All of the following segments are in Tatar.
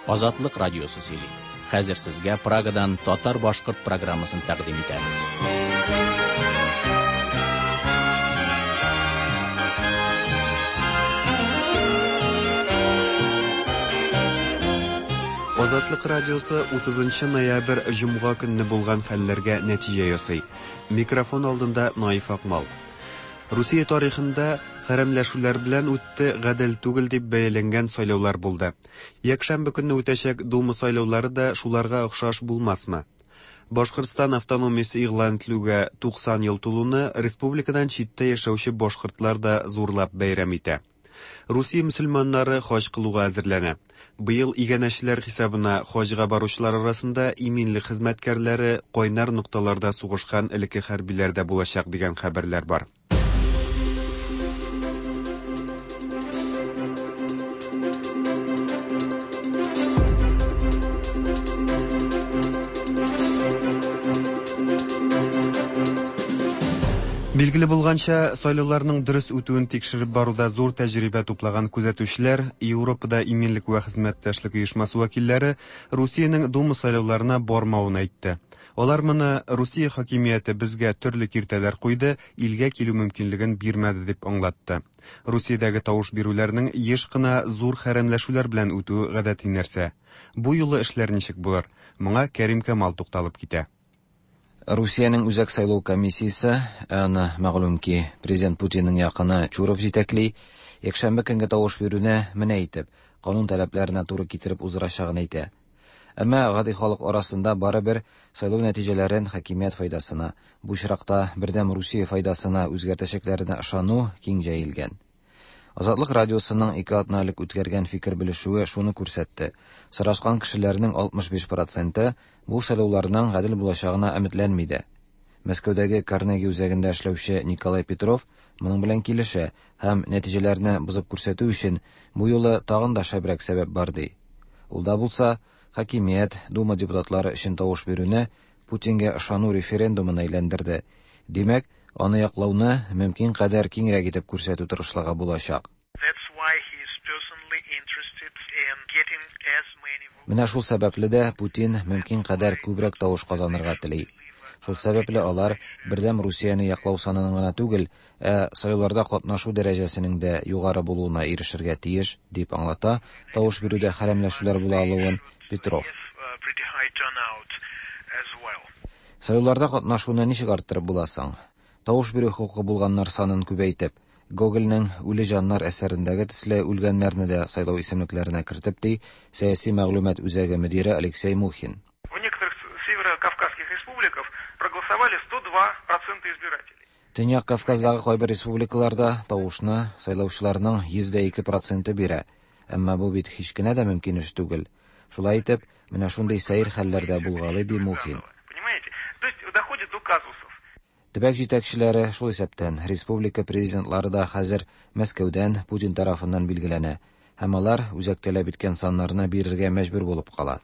Азатлык радиосы сөйли. Хәзер сезгә Прагадан татар-башкорт программасын тәкъдим итәбез. Азатлык радиосы 30 ноябрь җомга көнне булган хәлләргә нәтиҗә ясый. Микрофон алдында Наиф Акмал. Русия тарихында хәрәмләшүләр белән үтте, гадел түгел дип бәяләнгән сайлаулар булды. Якшәмбе көнне үтәчәк Дума сайлаулары да шуларга охшаш булмасмы? Башкортстан автономиясе игълан ителүгә 90 ел тулуны республикадан читтә яшәүче башкортлар да зурлап бәйрәм итә. Русия мөселманнары хаҗ кылуга әзерләнә. Быел иганәчеләр хисабына хаҗга баручылар арасында иминлек хезмәткәрләре, кайнар нокталарда сугышкан элекке хәрбиләр дә булачак дигән хәбәрләр бар. Билгеле булганча, сайлауларның дөрес үтүен тикшереп баруда зур тәҗрибә туплаган күзәтүчеләр, Европада иминлек вә хезмәттәшлек оешмасы вәкилләре Русиянең Дума сайлауларына бармавын әйтте. Алар моны Русия хакимияте безгә төрле киртәләр куйды, илгә килү мөмкинлеген бирмәде дип аңлатты. Русиядәге тавыш бирүләрнең еш кына зур хәрәмләшүләр белән үтүе гадәти нәрсә. Бу юлы эшләр ничек булыр? Моңа Кәрим Камал тукталып китә. Русиянең Үзәк сайлау комиссиясе, ә аны, мәгълүм ки, президент Путинның якыны Чуров җитәкли, якшәмбе көнге тавыш бирүне менә итеп, канун таләпләренә туры китереп уздырачагын әйтә. Әмма гади халык арасында барыбер сайлау нәтиҗәләрен хакимият файдасына, бу очракта Бердәм Русия файдасына үзгәртәчәкләренә ышану киң җәелгән. Азатлык радиосының ике атна элек үткәргән фикер белешүе шуны күрсәтте, сорашкан кешеләрнең 65 проценты бу сайлауларның гадел булачагына өметләнми дә. Мәскәүдәге Карнеги үзәгендә эшләүче Николай Петров моның белән килешә һәм нәтиҗәләрне бозып күрсәтү өчен бу юлы тагын да шәбрәк сәбәп бар ди. Ул да булса, хакимият Дума депутатлары өчен тавыш бирүне Путингә ышану референдумына әйләндерде. Димәк, аны яклауны мөмкин кадәр киңрәк итеп күрсәтү тырышлыгы булачак. Менә шул сәбәпле дә Путин мөмкин кадәр күбрәк тавыш казанырга тели. Шул сәбәпле алар Бердәм Русияне яклау санының гына түгел, ә сайлауларда катнашу дәрәҗәсенең дә югары булуына ирешергә тиеш, дип аңлата тавыш бирүдә хәрәмләшүләр була алуын Петров. Сайлауларда катнашуны ничек арттырып була соң? Тавыш бирү хокукы булганнар санын күбәйтеп, Гогольнең Үле җаннар әсәрендәге төсле үлгәннәрне дә сайлау исемлекләренә кертеп, ди Сәяси мәгълүмат үзәге мөдире Алексей Мухин. В некоторых северо-кавказских республиках проголосовали 102% избирателей. Төньяк Кавказдагы кайбер республикаларда тавышны сайлаучыларның 102 проценты бирә. Әмма бу бит һич кенә дә мөмкин эш түгел. Шулай итеп, менә шундый сәер хәлләр дә булгалый, ди Мухин. Понимаете? То есть доходит до казусов. Төбәк җитәкчеләре, шул исәптән республика президентлары да хәзер Мәскәүдән, Путин тарафыннан билгеләнә һәм алар үзәк таләп иткән саннарны бирергә мәҗбүр булып кала.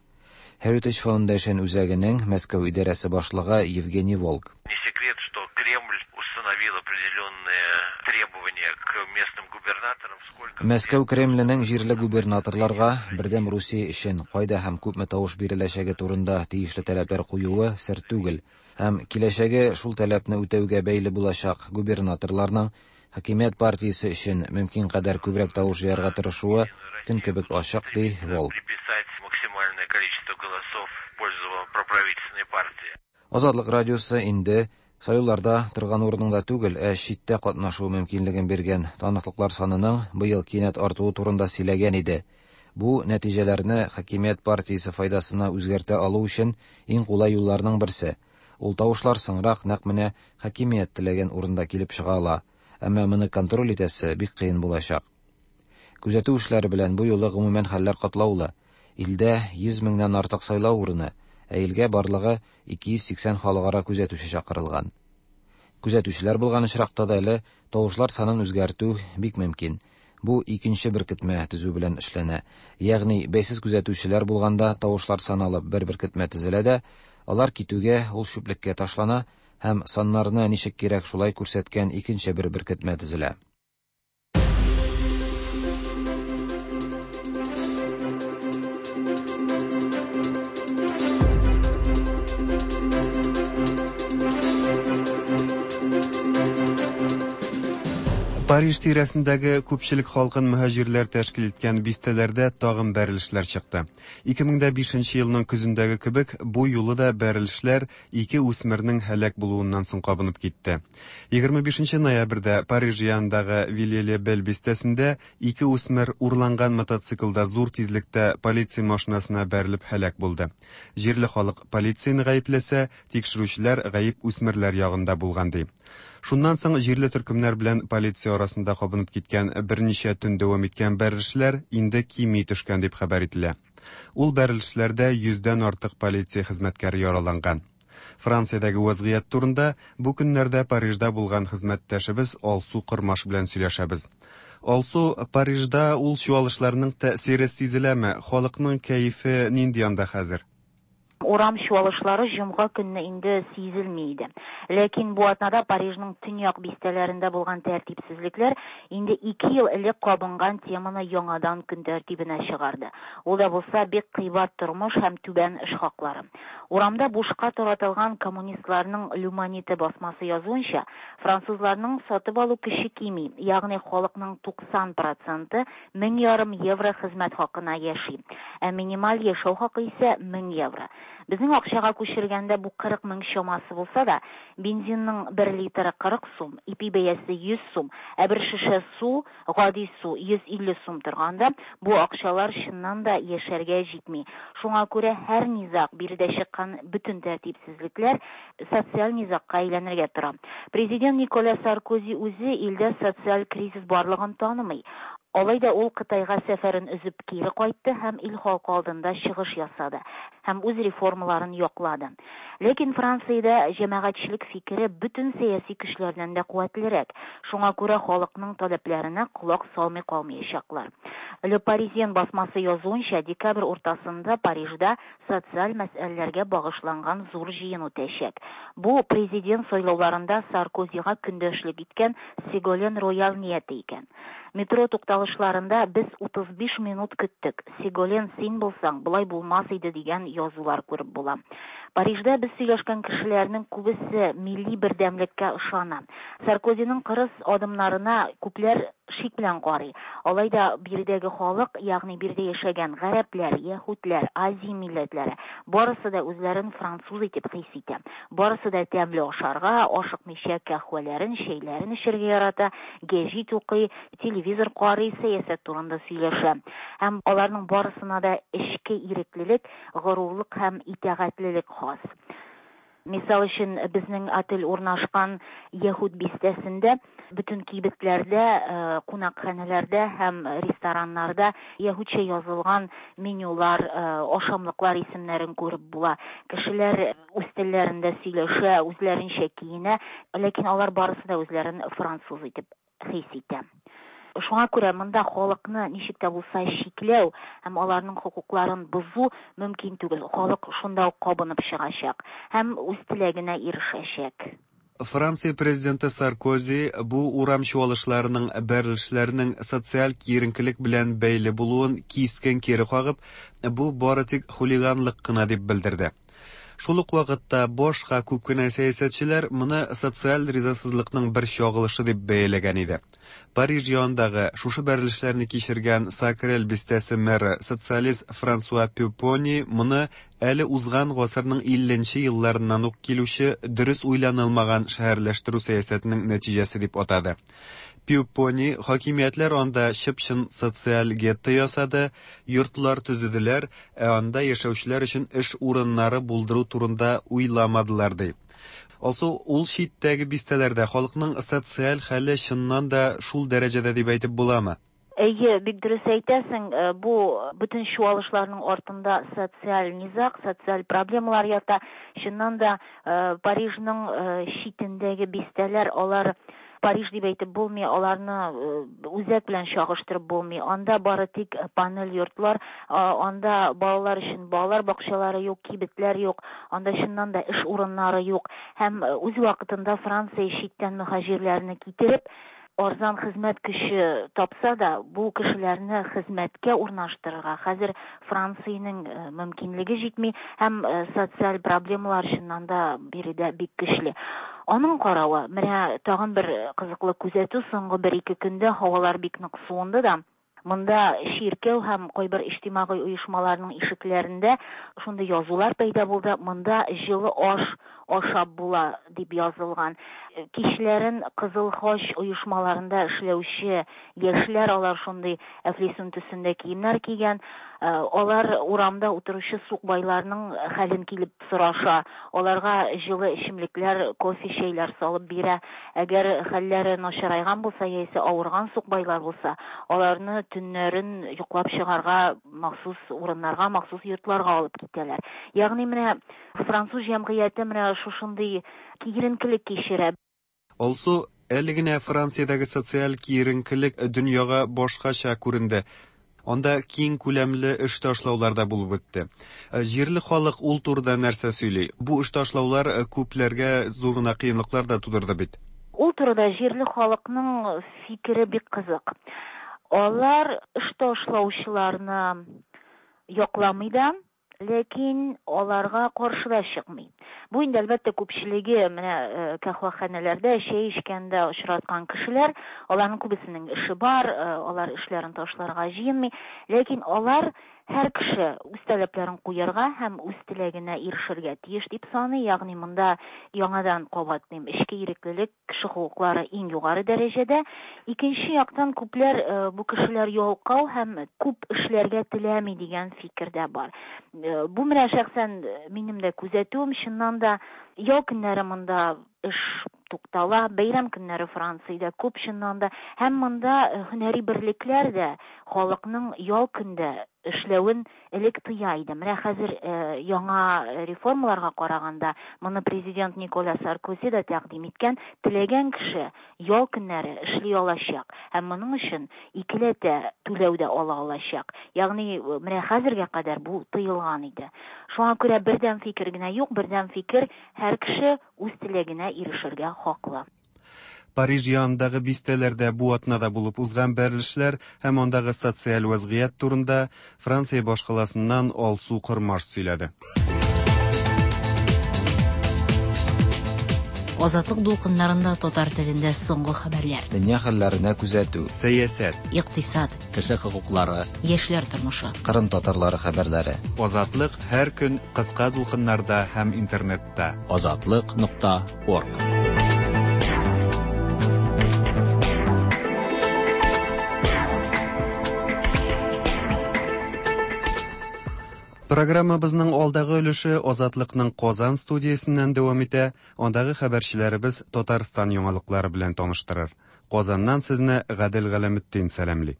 Heritage Foundation үзәгенең Мәскәү идарәсе башлыгы Евгений Волк. Не секрет, что Кремль установил определенные требования к местным губернаторам, сколько... Мәскәү Кремленең җирле губернаторларга Бердәм Русия өчен кайда һәм күпме тавыш биреләчәге турында тиешле таләпләр куюы сер түгел. Һәм киләчәге шул таләпне үтәүгә бәйле булачак губернаторларның хакимият партиясе өчен мөмкин кадәр күбрәк тавыш җыярга тырышуы көн кебек ачык, ди Волк. Приписать максимальное количество голосов в пользу проправительственной партии. Азатлык радиосы инде сайлауларда торган урыныңда түгел, ә читтә катнашу мөмкинлеген биргән таныклыклар санының быел кинәт артуы турында сөйләгән иде. Бу нәтиҗәләрне хакимият партиясе файдасына үзгәртә алу өчен иң кулай юлларның берсе. Ул тавышлар соңрак нәкъ менә хакимият теләгән урында килеп чыга ала. Әмма моны контроль итәсе бик кыен булачак. Күзәтү эшләре белән бу юлы гомумән хәлләр катлаулы. Илдә 100 меңнән артык сайлау урыны, ә илгә барлыгы 280 халыкара күзәтүче чакырылган. Күзәтүчеләр булган очракта да әле тавышлар санын үзгәртү бик мөмкин. Бу икенче беркетмә төзү белән эшләнә. Ягъни бәйсез күзәтүчеләр булганда тавышлар саналып бер беркетмә төзелә дә, алар китүгә ул чүплеккә ташлана һәм саннарны ничек кирәк шулай күрсәткән икенче бер беркетмә төзелә. Париж тирәсендәге күпчелек халкын мөһаҗирләр тәшкил иткән бистәләрдә тагын бәрелешләр чыкты. 2005 елның көзендәге кебек, бу юлы да бәрелешләр ике үсмернең һәлак булуыннан соң кабынып китте. 25 ноябрьдә Париж янындагы Вилье-ле-Бель бистәсендә ике үсмер урланган мотоциклда зур тизлектә полиция машинасына бәрелеп һәлак булды. Җирле халык полицияне гаепләсә, тикшерүчеләр гаеп үсмерләр ягында булган ди. Шуннан соң җирле төркемнәр белән полиция арасында кабынып киткән берничә төн дәвам иткән бәрелешләр инде кими төшкән дип хәбәр ителә. Ул бәрелешләрдә йөздән артык полиция хезмәткәре яраланган. Франциядәге вәзгыять турында бу көннәрдә Парижда булган хезмәттәшебез Алсу Кормаш белән сөйләшәбез. Алсу, Парижда ул чуалышларның тәэсире сизеләме? Халыкның кәефе нинди анда хәзер? Урам чуалышлары җомга көнне инде сизелми иде. Ләкин бу атнада Парижның төньяк бистәләрендә булган тәртипсезлекләр инде ике ел элек кабынган теманы яңадан көн тәртибенә чыгарды. Ул да булса бик кыйбат тормыш һәм түбән эш хаклары. Урамда бушка таратылган коммунистларның L'Humanité басмасы язуынча, французларның сатып алу көче кими, ягъни халыкның 90 проценты 1500 евро хезмәт хакына яши. Ә минималь яшәү хакы исә 1000 евро. Безнең акчага күчергәндә бу 40 мең чамасы булса да, бензинның 1 литры 40 сум, ипи бәясе 100 сум, ә бер шешә су, гади су 150 сум торганда, бу акчалар чыннан да яшәргә җитми. Шуңа күрә һәр низаг, биредә чыккан бөтен тәртипсезлекләр социаль низагка әйләнергә тора. Президент Николя Саркози үзе илдә социаль кризис барлыгын танымый. Алай да ул Кытайга сәфәрен өзеп кире кайтты һәм ил халкы алдында чыгыш ясады һәм үз реформаларын яклады. Ләкин Франциядә җәмәгатьчелек фикере бөтен сәяси көчләрдән дә куәтлерәк. Шуңа күрә халыкның таләпләренә колак салмый калмаячаклар. Le Parisien басмасы язуынча, декабрь уртасында Парижда социаль мәсьәләләргә багышланган зур җыен үтәчәк. Бу президент сайлауларында Саркозига көндәшлек иткән Сеголен Роял нияте икән. Метро тукталышларында без 35 минут көттек. Сеголен син булсаң, болай булмас иде дигән язулар күреп була. Парижда без сөйләшкән кешеләрнең күбесе милли бердәмлеккә ышана. Саркозиның кырыс адымнарына күпләр шик белән карый. Алай да биредәге халык, ягъни биредә яшәгән гарәпләр, яһүдләр, Азия милләтләре, барысы да үзләрен француз итеп хис итә. Барысы да тәмле ашарга, ашыкмыйча каһвәләрен, чәйләрен эчәргә ярата, гәҗит укый, телевизор карый, сәясәт турында сөйләшә. Һәм аларның барысына да эчке иреклелек, горурлык һәм итагатьлелек хас. Мисал өчен, безнең отель урнашкан Яһүд бистәсендә бөтен кибетләрдә, кунакханәләрдә һәм рестораннарда яһүдчә язылган менюлар, ашамлыклар исемнәрен күреп була. Кешеләр үз телләрендә сөйләшә, үзләренчә киенә, ләкин алар барысы да үзләрен француз итеп хис итә. Шуңа күрә монда халыкны ничек тә булса чикләү һәм аларның хокукларын бозу мөмкин түгел. Халык шунда ук кабынып чыгачак һәм үз теләгенә ирешәчәк. Франция президенты Саркози бу урам чуалышларының бәрелешләрнең социаль киеренкелек белән бәйле булуын кискен кире кагып, бу бары тик хулиганлык кына дип белдерде. Шул ук вакытта башка күп кенә сәясәтчеләр моны социаль ризасызлыкның бер чагылышы дип бәяләгән иде. Париж янындагы шушы бәрелешләрне кичергән Сакрель бистәсе мэры социалист Франсуа Пюпони моны әле узган гасырның 50 нче елларыннан ук килүче дөрес уйланылмаган шәһәрләштерү сәясәтенең нәтиҗәсе дип атады. Пюпони хакимиятләр анда чып-чын социаль гетто ясады, йортлар төзеделәр, ә анда яшәүчеләр өчен эш урыннары булдыру турында уйламадылар ди. Алсу, ул читтәге бистәләрдә халыкның социаль хәле чыннан да шул дәрәҗәдә дип әйтеп буламы? Әйе, бик дөрес әйтәсең, бу бөтен чуалышларның артында социаль низаг, социаль проблемалар ята. Чыннан да, Парижның читендәге бистәләр, алар Париж дип әйтеп булмый, аларны үзәк белән чагыштырып булмый. Анда бары тик панель йортлар, анда балалар өчен балалар бакчалары юк, кибетләр юк, анда чыннан да эш урыннары юк. Һәм үз вакытында Франция читтән мөһаҗирләрне китереп, арзан хезмәт көче тапса да, бу кешеләрне хезмәткә урнаштырырга хәзер Франциянең мөмкинлеге җитми һәм социаль проблемалар чыннан да биредә бик көчле. Аның каравы, менә тагын бер кызыклы күзәтү, соңгы бер-ике көндә һавалар бик нык суынды да, монда чиркәү һәм кайбер иҗтимагый оешмаларның ишекләрендә шундый язулар пәйда булды, монда җылы аш ашап була дип язылган. Кичләрен Кызыл Хач оешмаларында эшләүче яшьләр, алар шундый әфлисун төсендә киемнәр кигән, алар урамда утыручы сукбайларның хәлен килеп сораша, аларга җылы эчемлекләр, кофе, чәйләр салып бирә. Әгәр хәлләре начарайган булса яисә авырган сукбайлар булса, аларны төннәрен йоклап чыгарга махсус урыннарга, махсус йортларга алып китәләр. Ягъни менә француз җәмгыяте менә шушындый киеренкелек кичерә. Алсу, әле генә Франциядәге социаль киеренкелек дөньяга башкача күренде. Анда киң күләмле эш ташлаулар да булып үтте. Җирле халык ул турыда нәрсә сөйли? Бу эш ташлаулар күпләргә зур гына кыенлыклар да тудырды бит. Ул турыда җирле халыкның фикере бик кызык. Алар эш ташлаучыларны якламый да, ләкин аларга каршы да чыкмый. Бу инде, әлбәттә, күпчелеге менә каһвәханәләрдә чәй эчкәндә очраткан кешеләр, аларның күбесенең эше бар, алар эшләрен ташларга җыенмый, ләкин алар һәр кеше үз таләпләрен куярга һәм үз теләгенә ирешергә тиеш дип саный, ягъни монда яңадан кабатлыйм, эчке иреклелек, кеше хокуклары иң югары дәрәҗәдә. Икенче яктан, күпләр бу кешеләр ялкау һәм күп эшләргә теләми дигән фикер дә бар. Бу менә шәхсән минем дә күзәтүем, чыннан да ял көннәре монда эш туктала, бәйрәм көннәре Франциядә күп чыннан да, һәм монда һөнәри берлекләр дә халыкның ял көндә эшләвен элек тыя иде. Менә хәзер яңа реформаларга караганда, моны президент Николя Саркози да тәкъдим иткән, теләгән кеше ял көннәре эшли алачак һәм моның өчен икеләтә түләү дә ала алачак. Ягъни менә хәзергә кадәр бу тыелган иде. Шуңа күрә бердәм фикер генә юк, бердәм фикер һәр кеше үз теләгенә ирешергә хаклы. Париж янындагы бистәләрдә бу атнада булып узган бәрелешләр һәм андагы социаль вәзгыять турында Франция башкаласыннан Алсу Кормаш сөйләде. Азатлык дулкыннарында татар телендә соңгы хәбәрләр. Дөнья хәлләренә күзәтү. Сәясәт. Икътисад. Кеше хокуклары. Яшьләр тормышы. Кырым татарлары хәбәрләре. Азатлык һәр көн кыска дулкыннарда һәм интернетта. Азатлык.орг. Программабызның алдагы өлеше Азатлыкның Казан студиясеннән дәвам итә. Андагы хәбәрчеләребез Татарстан яңалыклары белән таныштырыр. Казаннан сезне Гадел Галәметдин сәламли.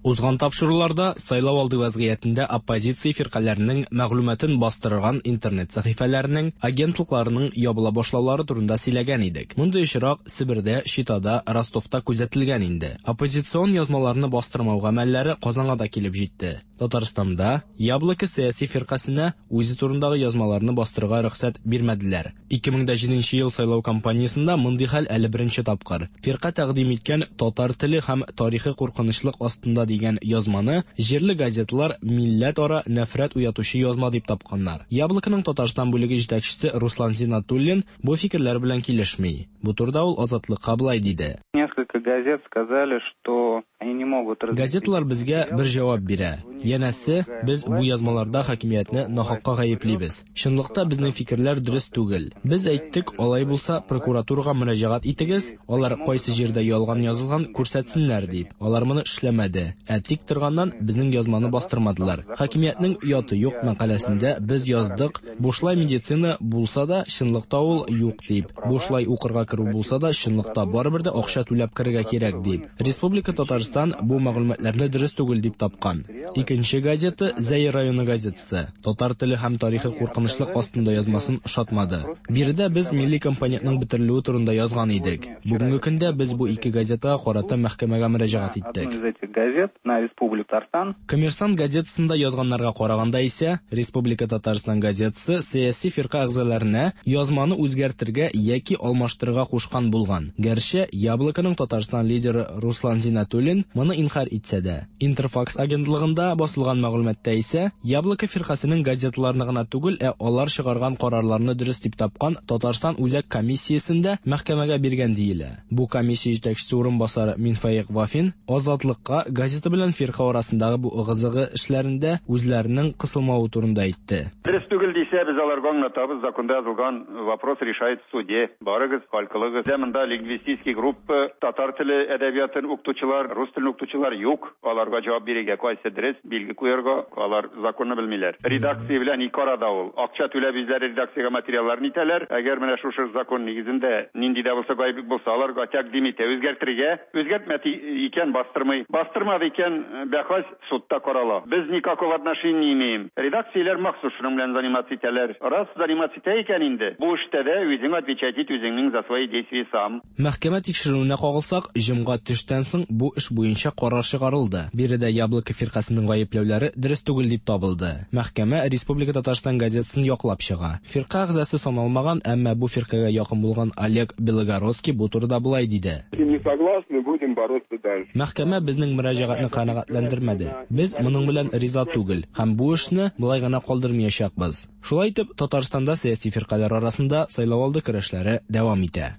Узган тапшыруларда сайлау алды вәзгыятендә оппозиция фиркаләренең мәгълүматын бастырган интернет сәхифәләренең, агентлыкларының ябыла башлаулары турында сөйләгән идек. Мондый очрак Себердә, Читада, Ростовта күзәтелгән инде. Оппозицион язмаларны бастырмау гамәлләре Казанга да килеп җитте. Татарстанда Яблоко сәяси фиркасенә үзе турындагы язмаларны бастырырга рөхсәт бирмәделәр. 2007 ел сайлау кампаниясендә мондый хәл әле беренче тапкыр. Фирка тәкъдим иткән татар теле һәм тарихы куркынычлык астында дигән язманы җирле газеталар милләт-ара нәфрәт уятучы язма дип тапканнар. Яблоконың Татарстан бүлеге җитәкчесе Руслан Зиннатуллин бу фикерләр белән килешми. Бу турыда ул Азатлыкка былай диде. Несколько газет сказали, что они не могут разместить Газеталар безгә бер җавап бирә. Янәсе, без бу язмаларда хакимиятне нахакка гаеплибез. Чынлыкта безнең фикерләр дөрес түгел. Без әйттек, алай булса прокуратурага мөрәҗәгать итегез, алар кайсы җирдә ялган язылган күрсәтсеннәр дип. Алар моны эшләмәде. Ә тик торганнан безнең язманы бастырмадылар. Хакимиятнең ояты юк мәкаләсендә без яздык, бушлай медицина булса да, чынлыкта ул юк дип. Бушлай укырга керү булса да, чынлыкта барыбер дә акча түләп керергә кирәк дип. Республика Татарстан бу мәгълүматларны дөрес түгел дип тапкан. Икенче газета Зәй районы газетасы. Татар теле һәм тарихы куркынычлык астында язмасын ошатмады. Биредә без милли компонентның бетерелүе турында язган идек. Бүгенге көндә без бу ике газетага карата мәхкәмәгә мөрәҗәгать иттек. Одну из этих газет на Республику Татарстан. Коммерсант газетасында язганнарга караганда исә, Республика Татарстан газетасы сәяси фирка әгъзаларына язманы үзгәртергә яки алмаштырырга кушкан булган. Гәрчә Яблоконың Татарстан лидеры Руслан Зиннатуллин Хәбибуллин моны инкарь итсә дә. Интерфакс агентлыгында басылган мәгълүматта исә Яблоко фиркасенең газеталарны гына түгел, ә алар чыгарган карарларны дөрес дип тапкан Татарстан Үзәк комиссиясен дә мәхкәмәгә биргән диелә. Бу комиссия җитәкчесе урынбасары Минфәек Вафин Азатлыкка газета белән фирка арасындагы бу ыгы-зыгы эшләрендә үзләренең кысылмавы турында әйтте. Дөрес түгел дисә, без аларга аңлатабыз, законда язылган вопрос решает в суде. Барыгыз, хәл кылыгыз. Бездә монда лингвистический группа, татар теле әдәбиятын укытучылар, рус телен укытучылар юк. Аларга җавап бирергә, кайсы дөрес, билге куярга, алар законны белмиләр. Редакция белән ике арада ул. Акча түләп үзләре редакциягә материалларын итәләр. Әгәр менә шушы закон нигезендә нинди дә булса гаеплек булса, аларга тәкъдим итә үзгәртергә. Үзгәртмәде икән, бастырмый. Бастырмады икән, бәхәс судта карала. Без никакого отношения не имеем. Редакцияләр махсус шуның белән заниматься итәләр. Раз заниматься итә икән инде, бу эштә дә үзең отвечать ит үзеңнең за свои действия сам. Мәхкәмә тикшеренүенә кагылсак, җомга төштән соң бу эш буенча карар чыгарылды. Биредә Яблоко фиркасенең гаепләүләре дөрес түгел дип табылды. Мәхкәмә Республика Татарстан газетасын яклап чыга. Фирка әгъзасы саналмаган, әмма бу фиркагә якын булган Олег Белогородский бу турыда болай диде. Не согласны, будем бороться дальше. Мәхкәмә безнең мөрәҗәгатьне канәгатьләндермәде. Без моның белән риза түгел һәм бу эшне болай гына калдырмыячакбыз. Шулай итеп, Татарстанда сәяси фиркаләр арасында сайлауалды көрәшләре дәвам итә.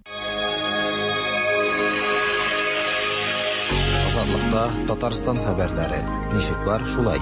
Азатлыкта Татарстан хәбәрләре. Ничек бар, шулай.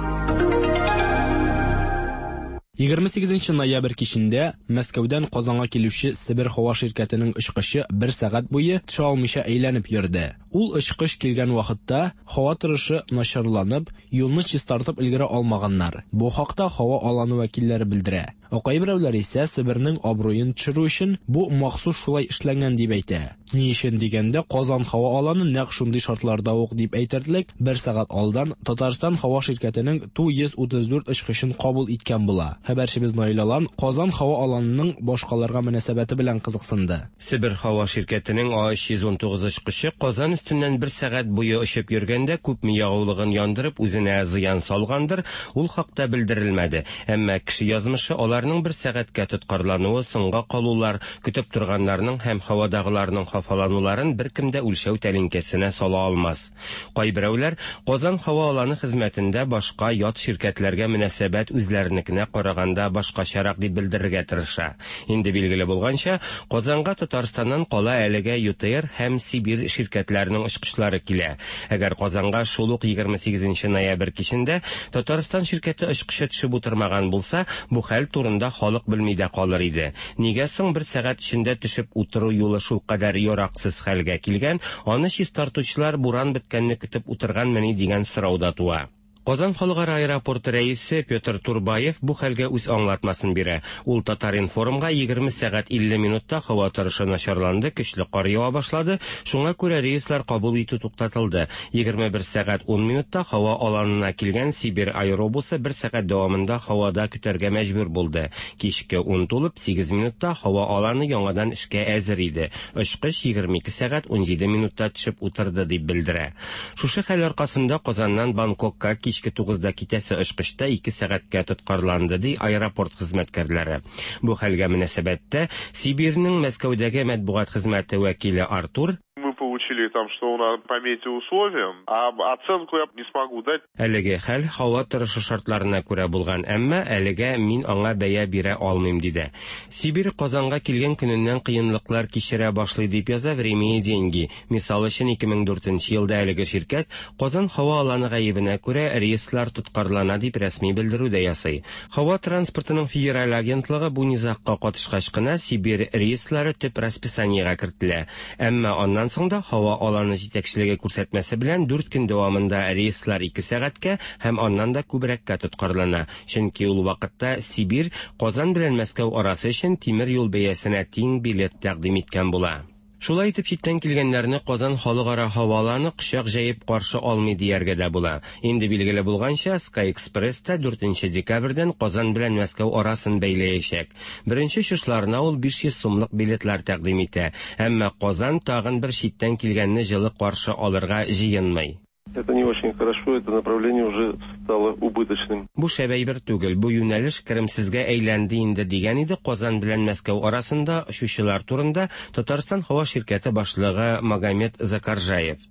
28 ноябрь кичендә Мәскәүдән Казанга килүче Себер һава ширкәтенең очкычы бер сәгать буе төшә алмыйча әйләнеп йөрде. Ул очкыч килгән вакытта һава торышы начарланып, юлны чистартып өлгерә алмаганнар. Бу хакта һава аланы вәкилләре белдерә. Ә кайберәүләр исә Себернең абруен төшерү өчен бу махсус шулай эшләнгән дип әйтә. Ни өчен дигәндә, Казан һава аланы нәкъ шундый шартларда ук дип әйтерлек, бер сәгать алдан Татарстан һава ширкәтенең Ту-134 очкычын кабул иткән була. Хәбәрчебез Наил Алан Казан һава аланының башкаларга мөнәсәбәте белән кызыксынды. Себер һава ширкәтенең А319 очкычы Казан өстеннән бер сәгать буе очып йөргәндә күпме ягулыгын яндырып үзенә зыян салгандыр, ул хакта белдерелмәде. Әмма кеше язмышы, аларның бер сәгатькә тоткарлануы, соңга калулар, көтеп торганнарның һәм һавадагыларның хафалануларын беркем дә үлчәү тәлинкәсенә сала алмас. Кайберәүләр Казан һава аланы хезмәтендә башка ят ширкәтләргә мөнәсәбәт үзләренекенә караганда башкачарак дип белдерергә тырыша. Инде билгеле булганча, Казанга Татарстаннан кала әлегә ЮТэйр һәм Сибирь ширкәтләренең очкычлары килә. Әгәр Казанга шул ук 28 ноябрь кичендә Татарстан ширкәте очкычы төшеп утырмаган булса, бу хәл турында халык белми дә калыр иде. Нигә соң бер сәгать эчендә төшеп утыру юлы шулкадәр яраксыз хәлгә килгән, аны чистартучылар буран беткәнне көтеп утырганмыни дигән сорау да туа. Казан халыкара аэропорты рәисе Петр Турбаев бу хәлгә үз аңлатмасын бирә. Ул Татар-информга 20 сәгать 50 минутта һава торышы начарланды, көчле кар ява башлады, шуңа күрә рейслар кабул итү туктатылды. 21 сәгать 10 минутта һава аланына килгән Сибирь аэробусы бер сәгать дәвамында һавада көтәргә мәҗбүр булды. Кичке 10 тулып 8 минутта һава аланы яңадан эшкә әзер иде. Очкыч 22 сәгать 17 минутта төшеп утырды, дип белдерә. Шушы хәл аркасында Казаннан Бангкокка кичке 9-да китәсе очкычта 2 сәгатькә тоткарланды, ди аэропорт хезмәткәрләре. Бу хәлгә мөнәсәбәттә Сибирьнең Мәскәүдәге матбугат хезмәте вәкиле Артур Мы получили там, что у нас по метеоусловиям, а оценку я не смогу дать. Әлеге хәл һава торышы шартларына күрә булган, әмма әлегә мин аңа бәя бирә алмыйм, диде. Сибирь Казанга килгән көненнән кыенлыклар кичерә башлый, дип яза Время и деньги. Мисал өчен, 2004 елда әлеге ширкәт Казан һава аланы гаебенә күрә рейслар тоткарлана дип рәсми белдерү дә ясый. Һава транспортының федераль агентлыгы бу низагка катышкач кына Сибирь рейслары төп расписаниегә кертелә. Әмма аннан соң да һава аланы җитәкчелеге күрсәтмәсе белән 4 көн дәвамында рейслар 2 сәгатькә һәм аннан да күбрәккә тоткарлана. Чөнки ул вакытта Сибирь Казан белән Мәскәү арасы өчен тимер юл бәясенә тиң билет тәкъдим иткән була. Шулай итеп читтән килгәннәрне Казан халыкара һава аланы кочак җәеп каршы алмый дияргә дә була. Инде билгеле булганча, Sky Express та 4 декабрьдән Казан белән Мәскәү арасын бәйләячәк. Беренче очышларына ул 500 сумлык билетлар тәкъдим итә. Әмма Казан тагын бер читтән килгәнне җылы каршы алырга җыенмый. Это не очень хорошо, это направление уже стало убыточным. Бу шәп әйбер түгел, бу юнәлеш керемсезгә әйләнде инде, дигән иде Казан белән Мәскәү арасында очучылар турында Татарстан һава ширкәте башлыгы Магомед Закаржаев.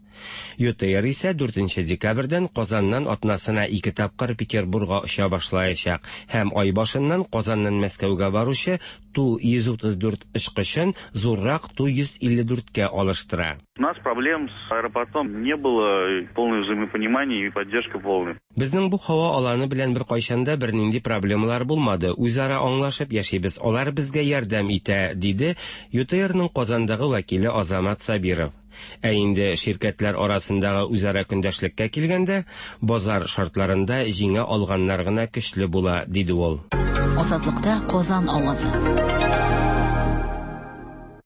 ЮТэйр исә 4 декабрьдән Казаннан атнасына ике тапкыр Петербурга оча башлаячак һәм ай башыннан Казаннан Мәскәүгә баручы Ту-134 очкычын зуррак Ту-154кә алыштыра. У нас проблем с аэропортом не было, полное взаимопонимание и поддержка полная. Безнең бу һава аланы белән беркайчан да бернинди проблемалар булмады, үзара аңлашып яшибез, алар безгә ярдәм итә, диде ЮТРның Казандагы вәкиле Азамат Сабиров. Ә инде ширкәтләр арасындагы үзара көндәшлеккә килгәндә, базар шартларында җиңә алганнар гына көчле була, диде ул. Азатлыкта Казан авазы.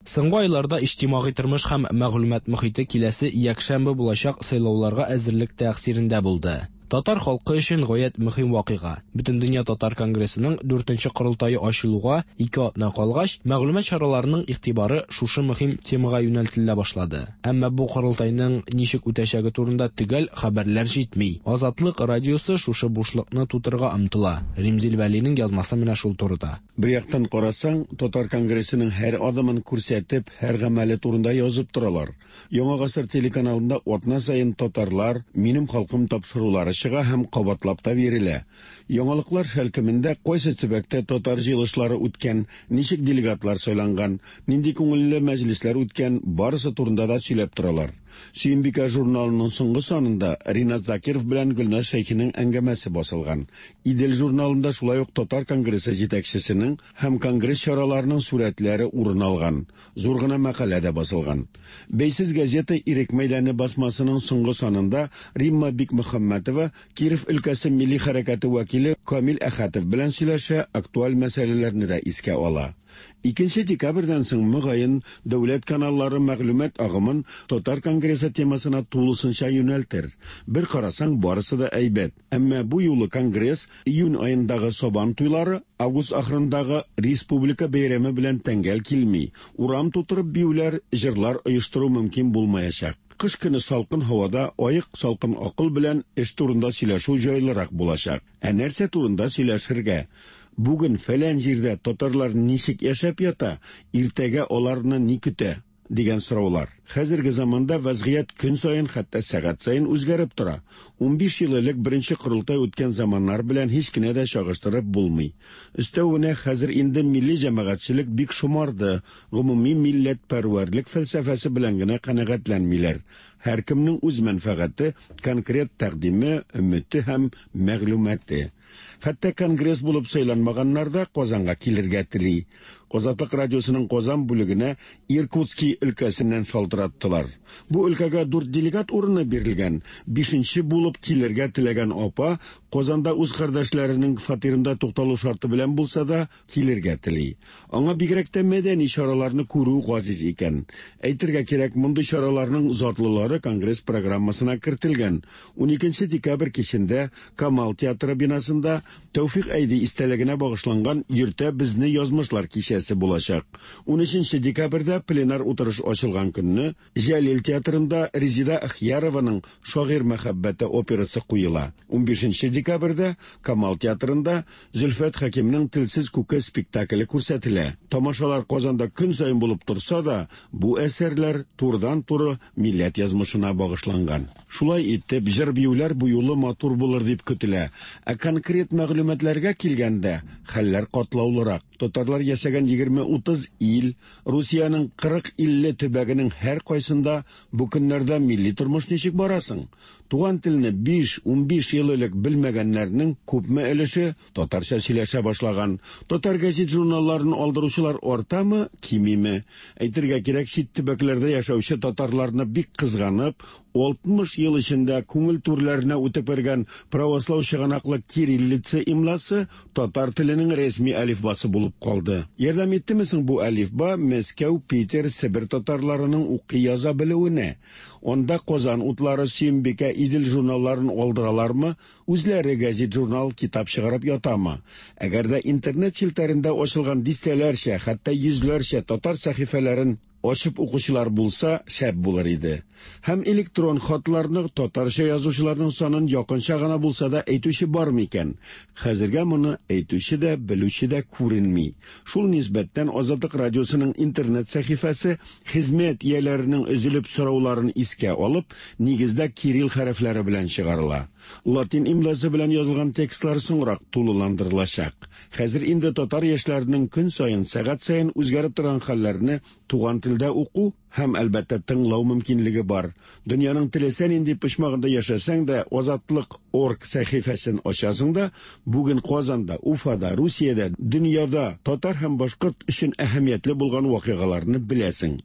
Соңгы айларда иҗтимагый тормыш һәм мәгълүмат мохите киләсе якшәмбе булачак сайлауларга әзерлек тәэсирендә булды. Татар халкы өчен гаять мөһим вакыйга. Бөтендөнья татар конгрессының 4нче корылтае ачылуга 2 атна калгач, мәгълүмат чараларының игътибары шушы мөһим темага юнәлтелә башлады. Әмма бу корылтайның ничек үтәчәге турында төгәл хәбәрләр җитми. Азатлык радиосы шушы бушлыкны тутырырга омтыла. Римзил Вәлинең язмасы менә шул турыда. Бер яктан карасаң, Татар конгрессының һәр адымын күрсәтеп, һәр гамәле турында язып торалар. Яңа гасыр телеканалында атна саен Татарлар, минем халкым тапшырулары чыга һәм кабатлап та бирелә. Яңалыклар шәлкемендә кайсы төбәктә татар җыелышлары үткән, ничек делегатлар сайланган, нинди күңелле мәҗлесләр үткән, барысы турында да сөйләп торалар. Сөембикә журналының соңгы санында Ринат Закиров белән Гөлназ Шәйхинең әңгәмәсе басылган. Идел журналында шулай ук Татар конгрессы җитәкчесенең һәм конгресс чараларының сурәтләре урын алган. Зур гына мәкалә дә басылган. Бәйсез газета Ирек мәйданы басмасының соңгы санында Римма Бикмөхәммәтова Киров өлкәсе милли хәрәкәте вәкиле Камил Әхәтов белән сөйләшә, актуаль мәсьәләләрне дә искә ала. 2 декабрьдән соң мөгаен дәүләт каналлары мәгълүмат агымын Татар конгрессы темасына тулысынча юнәлтер. Бер карасаң, барысы да әйбәт. Әмма бу юлы конгресс июнь аендагы Сабан туйлары, август ахырындагы республика бәйрәме белән тәңгәл килми. Урам тутырып биюләр, җырлар оештыру мөмкин булмаячак. Кыш көне салкын һавада аек салкын акыл белән эш турында сөйләшү җайлырак булачак. Ә нәрсә турында сөйләшергә? Бүген фәлән җирдә татарлар ничек яшәп ята, иртәгә аларны ни көтә? дигән сораулар. Хәзерге заманда вазгыять көн саен, хәтта сәгать саен үзгәреп тора. 15 ел элек беренче корылтай үткән заманнар белән һич кенә дә чагыштырып булмый. Өстәвенә хәзер инде милли җәмәгатьчелек бик шомарды, гомуми милләтпәрвәрлек фәлсәфәсе белән генә канәгатьләнмиләр. Һәркемнең үз мәнфәгате, конкрет тәкъдиме, өмете һәм мәгълүматы. Хәтта конгресс булып сайланмаганнар да Казанга килергә тели. Азатлык радиосының Казан бүлегенә Иркутский өлкәсеннән шалтыраттылар. Бу өлкәгә 4 делегат урыны бирелгән. 5нче булып килергә теләгән апа Казанда үз кардәшләренең фатирында тукталу шарты белән булса да килергә тели. Аңа бигрәк тә мәдәни чараларны күрү газиз икән. Әйтергә кирәк, мондый чараларның затлылары конгресс программасына кертелгән. 12 декабрь кичендә Камал театры бинасында Тәүфик Әйди истәлегенә багышланган Йөртә безне язмышлар кичәсе булачак. 13 декабрьдә пленар утырыш ачылган көнне Җәлил театрында Резида Ахьярованың Шагыйрь мәхәббәте операсы куела. 15 декабрьдә Камал театрында Зөлфәт Хәкимнең Телсез күке спектакле күрсәтелә. Тамашалар Казанда көн саен булып торса да, бу әсәрләр турыдан-туры милләт язмышына багышланган. Шулай итеп, җыр-биюләр бу юлы матур булыр дип көтелә. Ә конкрет мәгълүматларга килгәндә, хәлләр катлаулырак. Татарлар яшәгән 20-30 ил, Русиянең 40-50 төбәгенең һәр кайсында бу көннәрдә милли тормыш ничек барасың? Туган телне 5-15 ел элек белмәгәннәрнең күпме өлеше татарча сөйләшә башлаган. Татар газет журналларын алдыручылар артамы, кимиме? Әйтергә кирәк, чит төбәкләрдә яшәүче татарларны бик кызганып, 60 ел эчендә күңел түрләренә үтеп кергән правослау чыганаклы кириллица имласы татар теленең рәсми әлифбасы булып калды. Ярдәм иттеме соң бу әлифба Мәскәү, Питер, Себер татарларының укый яза белүенә? Анда Казан утлары, Сөембикә, Идел журналларын алдыралармы, үзләре газет, журнал, китап чыгарып ятамы? Әгәр дә интернет челтәрендә ачылган дистәләрчә, хәтта йөзләрчә татар сәхифәләрен Ачып укучылар булса, шәп булыр иде. Һәм электрон хатларны татарча язучыларның санын якынча гына булса да әйтүче бар микән? Хәзергә моны әйтүче дә, белүче дә күренми. Шул нисбәттән Азатлык радиосының интернет сәхифәсе хезмәт ияләренең өзелеп сорауларын искә алып, нигездә кирилл хәрефләре белән чыгарыла. Латин имласы белән язылган текстлар соңрак тулыландырылачак. Хәзер инде татар яшьләренең көн саен, сәгать саен үзгәреп торган хәлләрне туган телдә уку һәм, әлбәттә, тыңлау мөмкинлеге бар. Дөньяның теләсә нинди почмагында яшәсәң дә, Азатлык орг сәхифәсен ачасың да, бүген Казанда, Уфада, Русиядә, дөньяда татар һәм башкорт өчен әһәмиятле булган вакыйгаларны беләсең.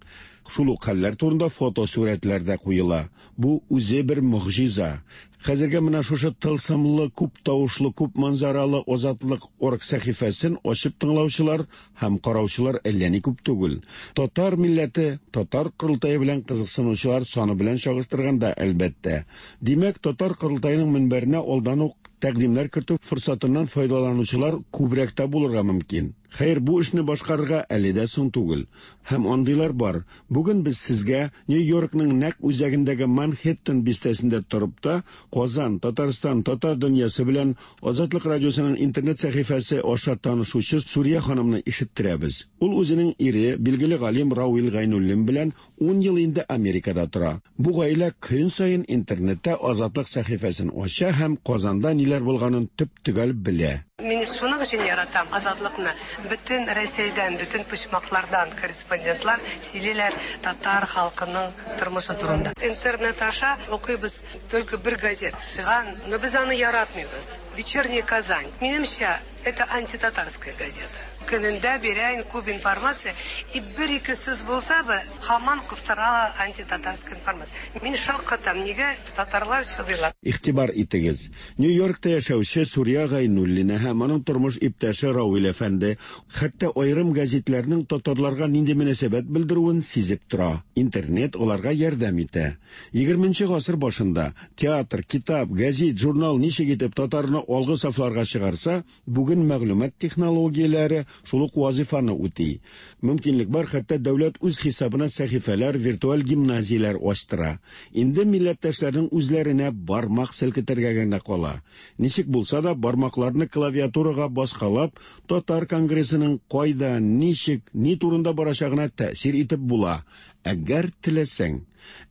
Шул ук хәлләр турында фотосурәтләр дә куела. Бу үзе бер могҗиза. Хәзергә менә шушы тылсымлы, күп тавышлы, күп манзаралы Азатлык орг сәхифәсен ачып тыңлаучылар һәм караучылар әллә ни күп түгел. Татар милләте, татар корылтае белән кызыксынучылар саны белән чагыштырганда, әлбәттә. Димәк, татар корылтаеның мөнбәренә алдан ук тәкъдимнәр кертү форсатыннан файдаланучылар күбрәк тә булырга мөмкин. Хәер, бу эшне башкарырга әле дә соң түгел. Һәм андыйлар бар. Бүген без сезгә Нью-Йоркның нәкъ үзәгендәге Манхэттен бистәсендә торып та, Казан, Татарстан, татар дөньясы белән Азатлык радиосының интернет сәхифәсе аша танышучы Сурия ханымны ишеттерәбез. Ул үзенең ире, билгеле галим Рауил Гайнуллин белән 10 ел инде Америкада тора. Бу гаилә көн саен интернетта Азатлык сәхифәсен ача һәм Казанда ниләр булганын төп-төгәл белә. Мин шуның өчен яратам Азатлыкны. Бөтен Рәсәйдән, бөтен почмаклардан корреспондентлар сөйлиләр татар халкының тормышы турында. Интернет аша укыйбыз только бер газет чыган, но без аны яратмыйбыз. Вечерняя Казань. Минемчә, это антитатарская газета. Көнендә бирә күп информация, и бер-ике сүз булса да, һаман кыстыра антитатарская информация. Мин шаккатам, нигә татарлар чыдыйлар? Игътибар итегез, Нью-Йоркта яшәүче Сурия Гайнуллина һәм аның тормыш иптәше Рауил әфәнде хәтта аерым гәзитләрнең татарларга нинди мөнәсәбәт белдерүен сизеп тора. Интернет аларга ярдәм итә. 20 гасыр башында театр, китап, гәзит, журнал ничек итеп татарны алгы сафларга чыгарса, бүген мәгълүмат технологияләре шул ук вазифаны үти. Мөмкинлек бар, хәтта дәүләт үз хисабына сәхифәләр, виртуаль гимназияләр ачтыра. Инде милләттәшләрнең үзләренә бармак селкетергә генә кала. Ничек булса да бармакларны клавиатурага баскалап, татар конгрессының кайда, ничек, ни турында барачагына тәэсир итеп була. Әгәр теләсәң,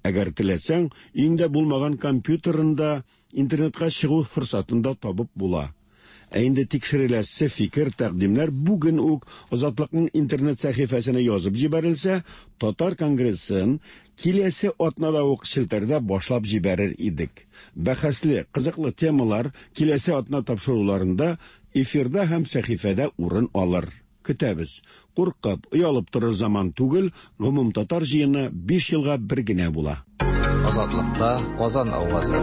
әгәр теләсәң, өеңдә булмаган компьютерында интернетка чыгу форсатын да табып була. Ә инде тикшереләсе фикер, тәкъдимнәр бүген үк Азатлыкның интернет сәхифәсенә язып җибәрелсә, Татар конгрессын киләсе атнада ук челтәрдә башлап җибәрер идек. Бәхәсле, кызыклы темалар киләсе атна тапшыруларында эфирда һәм сәхифәдә урын алыр. Көтәбез. Куркып, оялып торыр заман түгел, гомум татар җыены 5 елга бер генә була. Азатлыкта Казан авазы.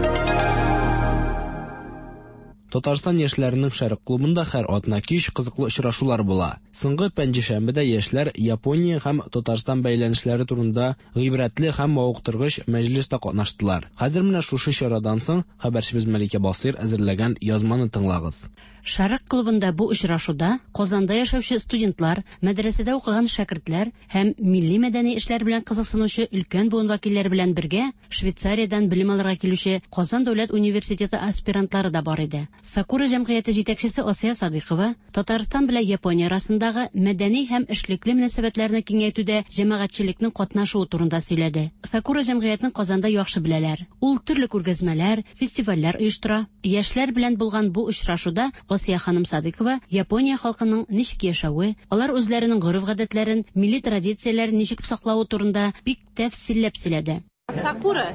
Татарстан яшьләренең Шәрык клубында һәр атна кич кызыклы очрашулар була. Соңгы пәнҗешәмбедә яшьләр Япония һәм Татарстан бәйләнешләре турында гыйбрәтле һәм мавыктыргыч мәҗлестә катнаштылар. Хәзер менә шушы чарадан соң хәбәрчебез Мәликә Басыйр әзерләгән язманы тыңлагыз. Шәрык клубында бу очрашуда Казанда яшәүче студентлар, мәдрәсәдә укыган шәкертләр һәм милли мәдәни эшләр белән кызыксынучы өлкән буын вәкилләре белән бергә Швейцариядән белем алырга килүче Казан дәүләт университеты аспирантлары да бар иде. Сакура җәмгыяте җитәкчесе Асия Садыйкова Татарстан белән Япония арасындагы мәдәни һәм эшлекле мөнәсәбәтләрне киңәйтүдә җәмәгатьчелекнең катнашуы турында сөйләде. Сакура җәмгыятен Казанда яхшы беләләр. Ул төрле күргәзмәләр, фестивальләр оештыра. Яшьләр белән булган бу очрашуда Асия ханым Садыйкова Япония халкының ничек яшәве, алар үзләренең гореф-гадәтләрен, милли традицияләрен ничек саклавы турында бик тәфсилләп сөйләде. Сакура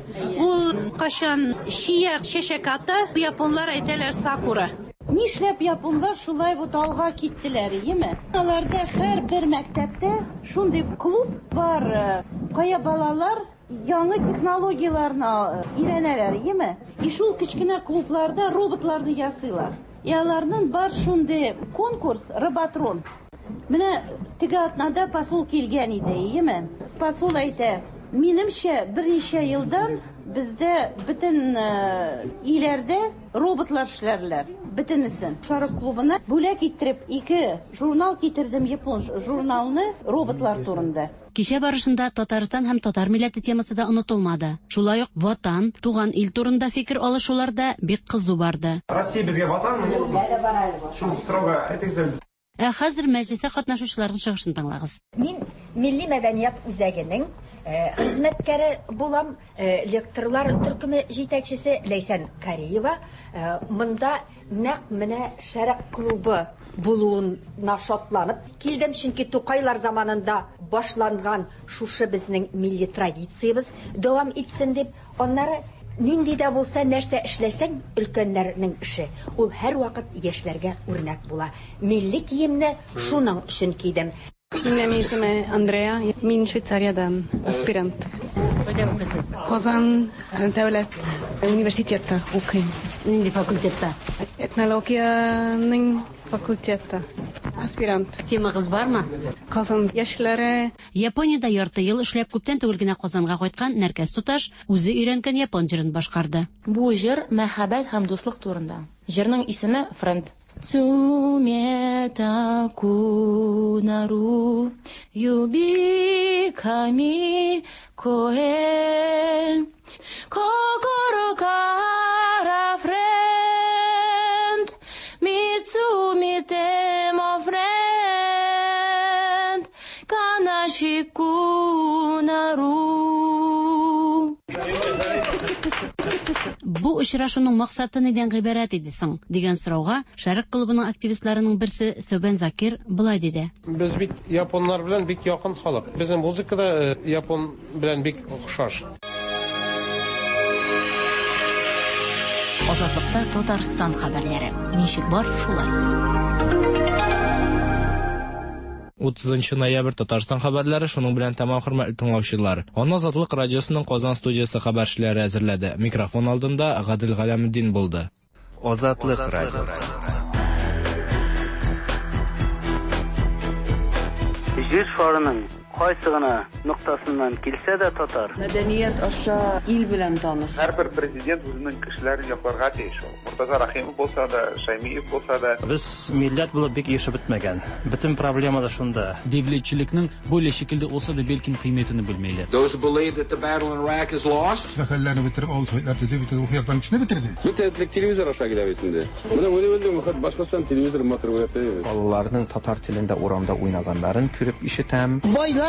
ул кашан чия чәчәк ата, японлар әйтәләр сакура. Нишләп японлар шулай бу алга киттеләр, иеме? Аларда һәр бер мәктәптә шундый клуб бар, кая балалар яңа технологияләрне өйрәнәләр, иеме? И шул кечкенә клубларда роботларны ясыйлар. И аларның бар шундый конкурс Роботрон. Менә теге атнада посол килгән иде, иеме? Посол әйтә, минемчә берничә елдан Бездә бөтен өйләрдә роботлар эшләрләр, бөтенесен. Шәрык клубына бүләк иттереп ике журнал китердем, япон журналны роботлар турында. Кичә барышында Татарстан һәм татар милләте темасы да онытылмады. Шулай ук Ватан, туган ил турында фикер алышулар да бик кызу барды. Россия безгә ватанмы, юкмы? Шул сорауга әйтегез әле. Ә хәзер мәҗлестә катнашучыларның чыгышын тыңлагыз. Мин Милли мәдәният үзәгенең хезмәткәре булам, лекторлар төркеме җитәкчесе Ләйсән Кариева. Монда нәкъ менә Шәрык клубы булуына шатланып килдем, чөнки Тукайлар заманында башланган шушы безнең милли традициябез дәвам итсен дип. Аннары нинди дә булса нәрсә эшләсәң, өлкәннәрнең эше, ул һәрвакыт яшьләргә үрнәк була. Милли киемне шуның өчен кидем. Минем исемем Андреа, мин Швейцариядән, аспирант. Кайда укыйсыз? Казан дәүләт университетта укыйм. Нинди факультетта? Этнологиянең факультетта. Аспирант. Темагыз бармы? Казан яшьләре. Япониядә ярты ел эшләп, күптән түгел генә Казанга кайткан Нәркәс туташ үзе өйрәнгән япон җырын башкарды. Бу җыр мәхәббәт һәм дуслык турында. Җырның исеме Френд. Цумета кунару юби ками коэ кокоро кара френд мицуми темо френд канаши кунару. Бу очрашуның максаты нидән гыйбарәт иде соң? дигән сорауга Шәрык клубының активистларының берсе Сөбән Закир болай диде. Без бит японнар белән бик якын халык. Безнең музыка да япон белән бик охшаш. Азатлыкта Татарстан хәбәрләре. Ничек бар, шулай. 30 ноябрь Татарстан хәбәрләре шуның белән тәмам, хөрмәтле тыңлаучылар. Аны Азатлык радиосының Казан студиясе хәбәрчеләре әзерләде. Микрофон алдында Гадел Галәметдин булды. Азатлык радиосы. Җир шарының кайсы гына ноктасыннан килсә дә татар. Мәдәният аша ил белән таныш. Һәрбер президент үзенең кешеләрен якларга тиеш ул. Мортаза Рәхимов булса да, Шәймиев булса да. Без милләт булып бик ирешеп бетмәгән. Бөтен проблема да шунда. Devletçilikniñ böyle şekilde olsa da belkim qıymetini bilmeyler. Those who believe that the battle in Iraq is lost. Хәлләрне бетереп, авыл советлар төзеп, бөтен рухи яктан кешене бетерде. Бөтен телевизор аша килә бит инде. Менә үзе белдем, хат башкортстан телевизор матур күрәтә. Балаларның татар телендә урамда уйнаганнарын күреп ишетәм. Байлар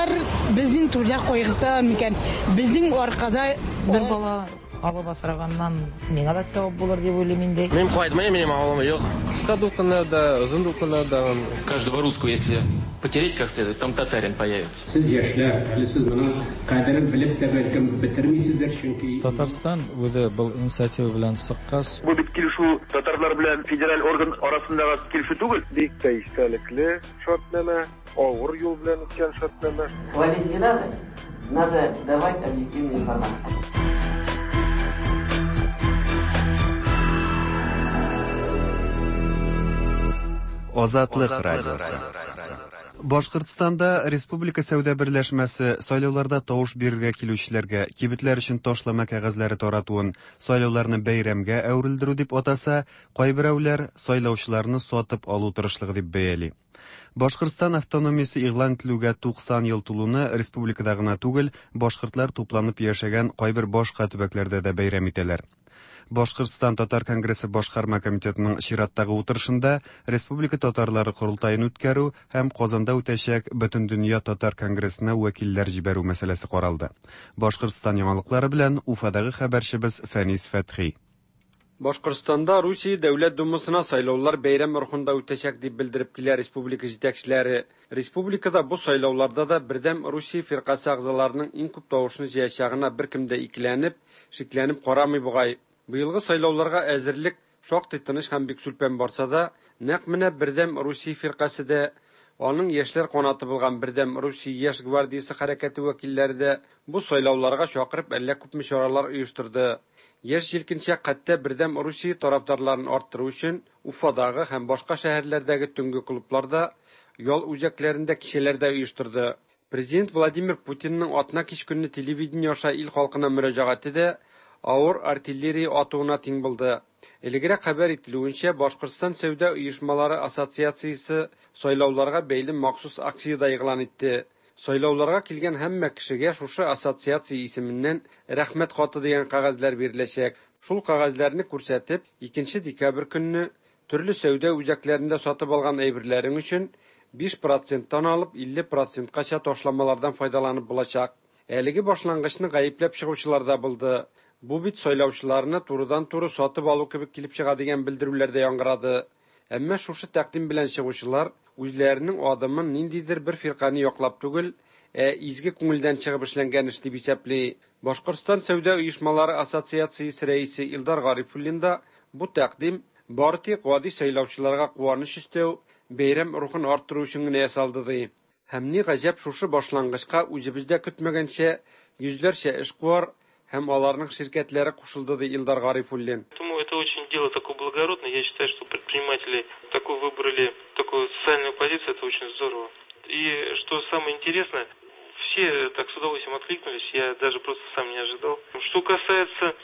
безнең түрдә кайгырта микән? Безнең аркада бер бала алып асраганнан миңа да савап булыр дип уйлыйм инде. Мин кайтмыйм, минем авылым юк. Кыска дулкыннарда, озын дулкыннарда. Каждого русского, если потереть как следует, там татарин появится. Сез яшьләр, әле сез моның кадерен белеп тә бәлкем бетермисездер, чөнки Татарстан үзе был инициатива белән чыккач, Бу бит килешү татарлар белән федераль орган арасындагы килешү түгел. Бик тә истәлекле шартнамә, авыр юл белән үткән шартнамә. Хвалить не надо, надо давать объективную информацию. Азатлык радиосы. Башкортстанда Республика сәүдә берләшмәсе сайлауларда тавыш бирергә килүчеләргә кибетләр өчен ташлама кәгазьләре таратуын сайлауларны бәйрәмгә әверелдерү дип атаса, кайберәүләр сайлаучыларны сатып алу тырышлыгы дип бәяли. Башкортстан автономиясе игълан ителүгә 90 ел тулуны республикада гына түгел, башкортлар тупланып яшәгән кайбер башка төбәкләрдә дә бәйрәм итәләр. Башкортстан Татар конгрессы башкарма комитетының чираттагы утырышында Республика татарлары корылтаен үткәрү һәм Казанда үтәчәк Бөтендөнья татар конгрессына вәкилләр җибәрү мәсьәләсе каралды. Башкортстан яңалыклары белән Уфадагы хәбәрчебез Фәнис Фәтхи. Башкортстанда Русия Дәүләт Думасына сайлаулар бәйрәм рухында үтәчәк дип белдереп килә республика җитәкчеләре. Республикада бу сайлауларда да Бердәм Русия фиркасе әгъзаларының иң күп тавышны җыячагына беркем дә икеләнеп, шикләнеп карамый бугай. Быелгы сайлауларга әзерлек шактый тыныч һәм бик сүлпән барса да, нәкъ менә Бердәм Русия фиркасе дә, аның яшьләр канаты булган Бердәм Русия яшь гвардиясе хәрәкәте вәкилләре дә бу сайлауларга чакырып әллә күпме чаралар оештырды. Яшь җилкенчәк хәтта Бердәм Русия тарафдарларын арттыру өчен Уфадагы һәм башка шәһәрләрдәге төнге клубларда, ял үзәкләрендә кичәләр дә оештырды. Президент Владимир Путинның атна кич көнне телевидение аша ил халкына мөрәҗәгате дә авыр артиллерия атуына тиң булды. Элегрәк хәбәр ителүенчә, Башкортстан сәүдә оешмалары ассоциациясе сайлауларга бәйле махсус акция дә игълан итте. Сайлауларга килгән һәммә кешегә шушы ассоциация исеменнән Рәхмәт хаты дигән кәгазьләр биреләчәк. Шул кәгазьләрне күрсәтеп, икенче декабрь көнне төрле сәүдә үзәкләрендә сатып алган әйберләрең өчен 5 проценттан алып 50 проценткача ташламалардан файдаланып булачак. Әлеге башлангычны гаепләп чыгучылар да булды. Бу бит сайлаучыларны турыдан-туры сатып алу кебек килеп чыга дигән белдерүләр дә яңгырады. Әмма шушы тәкъдим белән чыгучылар үзләренең адымын ниндидер бер фиркане яклап түгел, ә изге күңелдән чыгып эшләнгән эш дип исәпли. Башкортстан сәүдә оешмалары ассоциациясе рәисе Илдар Гарифуллин да бу тәкъдим бары тик гади сайлаучыларга куаныч өстәү, бәйрәм рухын арттыру өчен генә ясалды ди. Һәм ни гаҗәп, шушы башлангычка үзебез дә көтмәгәнчә йөзләрчә эшкуар һәм аларның ширкәтләре кушылды, ди Илдар Гарифуллин. Поэтому это очень дело такое благородное. Я считаю, что предприниматели такую выбрали, такую социальную позицию, это очень здорово. И что самое интересное, все так с удовольствием откликнулись, я даже просто сам не ожидал. Что касается,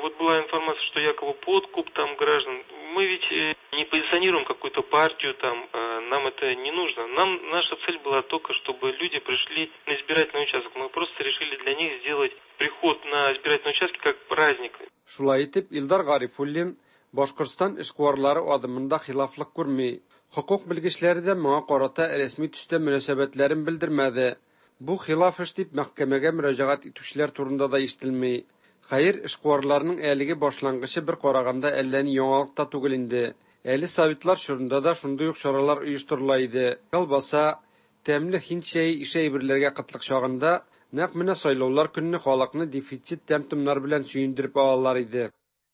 вот была информация, что якобы подкуп там граждан. Мы ведь не позиционируем какую-то партию, там, нам это не нужно. Нам наша цель была только, чтобы люди пришли на избирательный участок. Мы просто решили для них сделать приход на избирательный участок как праздник. Шулай итеп, Илдар Гарифуллин Башкортстан эшкуарлары адымында хилафлык күрми. Хокук белгечләре дә моңа карата рәсми төстә мөнәсәбәтләрен белдермәде. Бу хилаф эш дип мәхкәмәгә мөрәҗәгать итүчеләр турында да ишетелми. Хәер, эшкуарларның әлеге башлангычы бер караганда әллә ни яңалык та түгел инде. Әле советлар чорында да шундый ук чаралар оештырыла иде. Колбаса, тәмле һинд чәе ише әйберләргә кытлык чагында нәкъ менә сайлаулар көнне халыкны дефицит тәм-томнар белән сөендереп алалар иде.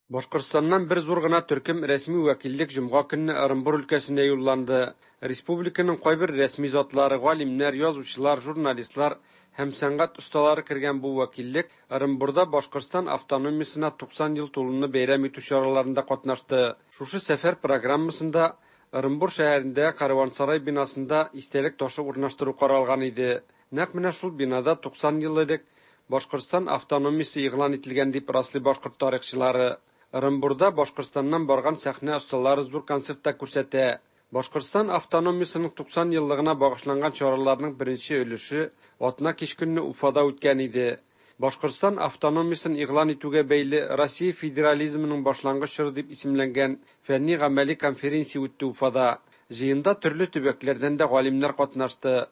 Башкортстаннан бер зур гына төркем рәсми вәкиллек җомга көнне Ырынбур өлкәсенә юлланды. Республиканың кайбер рәсми затлары, галимнәр, язучылар, журналистлар һәм сәнгать осталары кергән бу вәкиллек Ырынбурда Башкортстан автономиясенә 90 ел тулуны бәйрәм итү чараларында катнашты. Шушы сәфәр программасында Ырынбур шәһәрендә Караван-сарай бинасында истәлек ташы урнаштыру каралган иде. Нәкъ менә шул бинада 90 ел элек Башкортстан автономиясе игълан ителгән дип раслый башкорт тарихчылары. Ырынбурда Башкортстаннан барган сәхнә осталары зур концерт та күрсәтә. Башкортстан автономиясенең 90 еллыгына багышланган чараларның беренче өлеше атна кич көнне Уфада үткән иде. Башкортстан автономиясен игълан итүгә бәйле Россия федерализмының башлангыч чоры дип исемләнгән фәнни-гамәли конференция үтте Уфада. Җыенда төрле төбәкләрдән дә галимнәр катнашты.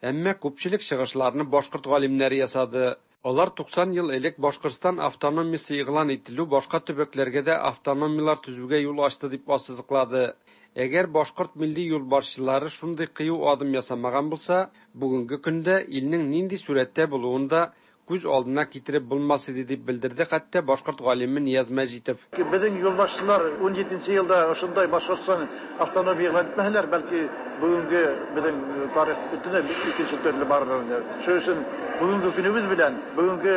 Әмма күпчелек чыгышларны башкорт галимнәре ясады. Алар 90 ел элек Башкортстан автономиясе игълан ителү башка төбәкләргә дә автономияләр төзүгә юл ачты дип ассызыклады. Әгәр башкорт милли юлбашчылары шундый кыю адым ясамаган булса, бүгенге көндә илнең нинди сурәттә булуын да күз алдына китереп булмас иде дип белдерде хәтта башкорт галиме Нияз Мәҗитов. Безнең юлбашчылар 17 елда ошондай Башкортстан автономия игълан итмәһәләр, бәлки бүгенге безнең тарих бөтенләй икенче төрле барыр иде. Шуның өчен бүгенге көнебез белән, бүгенге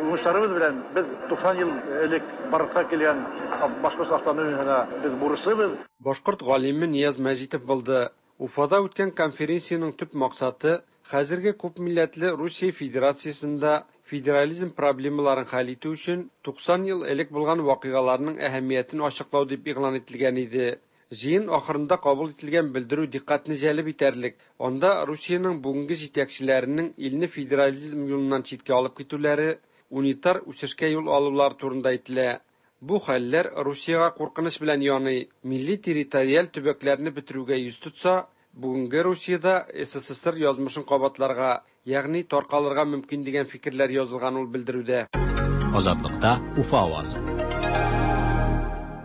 уңышларыбыз белән без 90 ел элек барлыкка килгән Башкорт автономиясенә без бурычлыбыз. Башкорт галиме Нияз Мәҗитов булды. Уфада үткән конференциянең төп максаты хәзерге күпмилләтле Русия Федерациясендә федерализм проблемаларын хәл итү өчен 90 ел элек булган вакыйгаларның әһәмиятен ачыклау дип игълан ителгән иде. Җыен ахырында кабул ителгән белдерү дикъкатьне җәлеп итәрлек. Анда Русиянең бүгенге җитәкчеләренең илне федерализм юлыннан читкә алып китүләре, унитар үсешкә юл алулары турында әйтелә. Бу хәлләр Русиягә куркыныч белән яный. Милли территориаль төбәкләрне бетерүгә йөз тотса, бүгенге Русиядә СССР язмышын кабатларга, ягъни таркалырга мөмкин дигән фикерләр язылган ул белдерүдә. Азатлыкта Уфа авазы.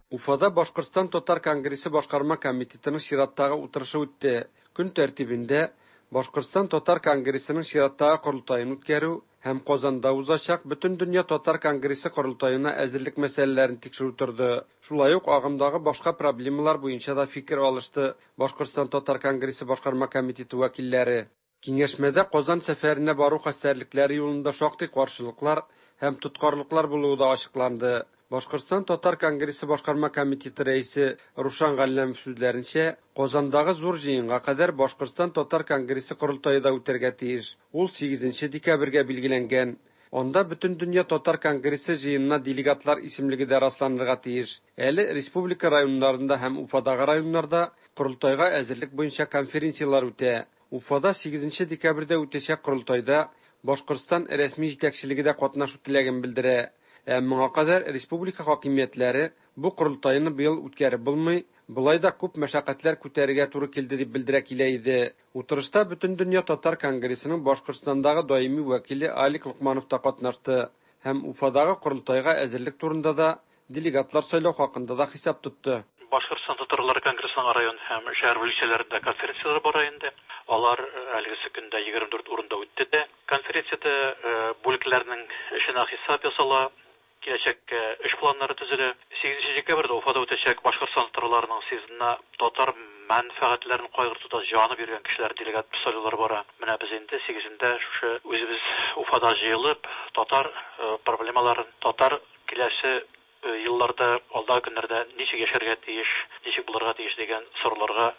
Уфада Башкортстан Татар конгрессы башкарма комитетының чираттагы утырышы үтте. Көн тәртибендә Башкортстан Татар конгрессының чираттагы корылтаен үткәрү һәм Казанда узачак Бөтендөнья Татар конгрессы корылтаена әзерлек мәсьәләләрен тикшерү торды. Шулай ук агымдагы башка проблемалар буенча да фикер алышты Башкортстан Татар конгрессы башкарма комитеты вәкилләре. Киңәшмәдә Казан сәфәренә бару хәстәрлекләре юлында шактый каршылыклар һәм тоткарлыклар булуы да ачыкланды. Башкортстан Татар конгрессы башкарма комитеты рәисе Рушан Галләмов сүзләренчә, Казандагы зур җыенга кадәр Башкортстан Татар конгрессы корылтае да үтәргә тиеш. Ул 8 декабрьгә билгеләнгән. Анда Бөтендөнья татар конгрессы җыенына делегатлар исемлеге дә расланырга тиеш. Әле республика районнарында һәм Уфадагы районнарда корылтайга әзерлек буенча конференцияләр үтә. Уфада 8 декабрьдә үтәчәк корылтайда Башкортстан рәсми җитәкчелеге дә катнашу теләген белдерә. Ә моңа кадәр республика хакимиятләре бу корылтайны быел үткәреп булмый, болай да күп мәшәкатьләр күтәрергә туры килде дип белдерә килә иде. Утырышта Бөтендөнья татар конгрессының Башкортстандагы даими вәкиле Алик Локманов та катнашты һәм Уфадагы корылтайга әзерлек турында да, делегатлар сайлау хакында да хисап тотты. Башкортстан татарлары конгрессының район һәм шәһәр бүлекчәләрендә конференцияләр бара инде. Алар әлегесе көндә 24 урында үтте дә. Конференциядә бүлекләрнең эшенә хисап ясала, киләчәккә эш планнары төзелә. 8 декабрьдә Уфада үтәчәк Башкортстан татарларының съездына татар мәнфәгатьләрен кайгыртуда җаны биргән кешеләр делегат сайлаулар бара. Менә без инде 8-ндә шушы үзебез Уфада җыелып, татар проблемаларын, татар киләсе елларда, алдагы көннәрдә ничек яшәргә тиеш, ничек булырга тиеш дигән сорауларга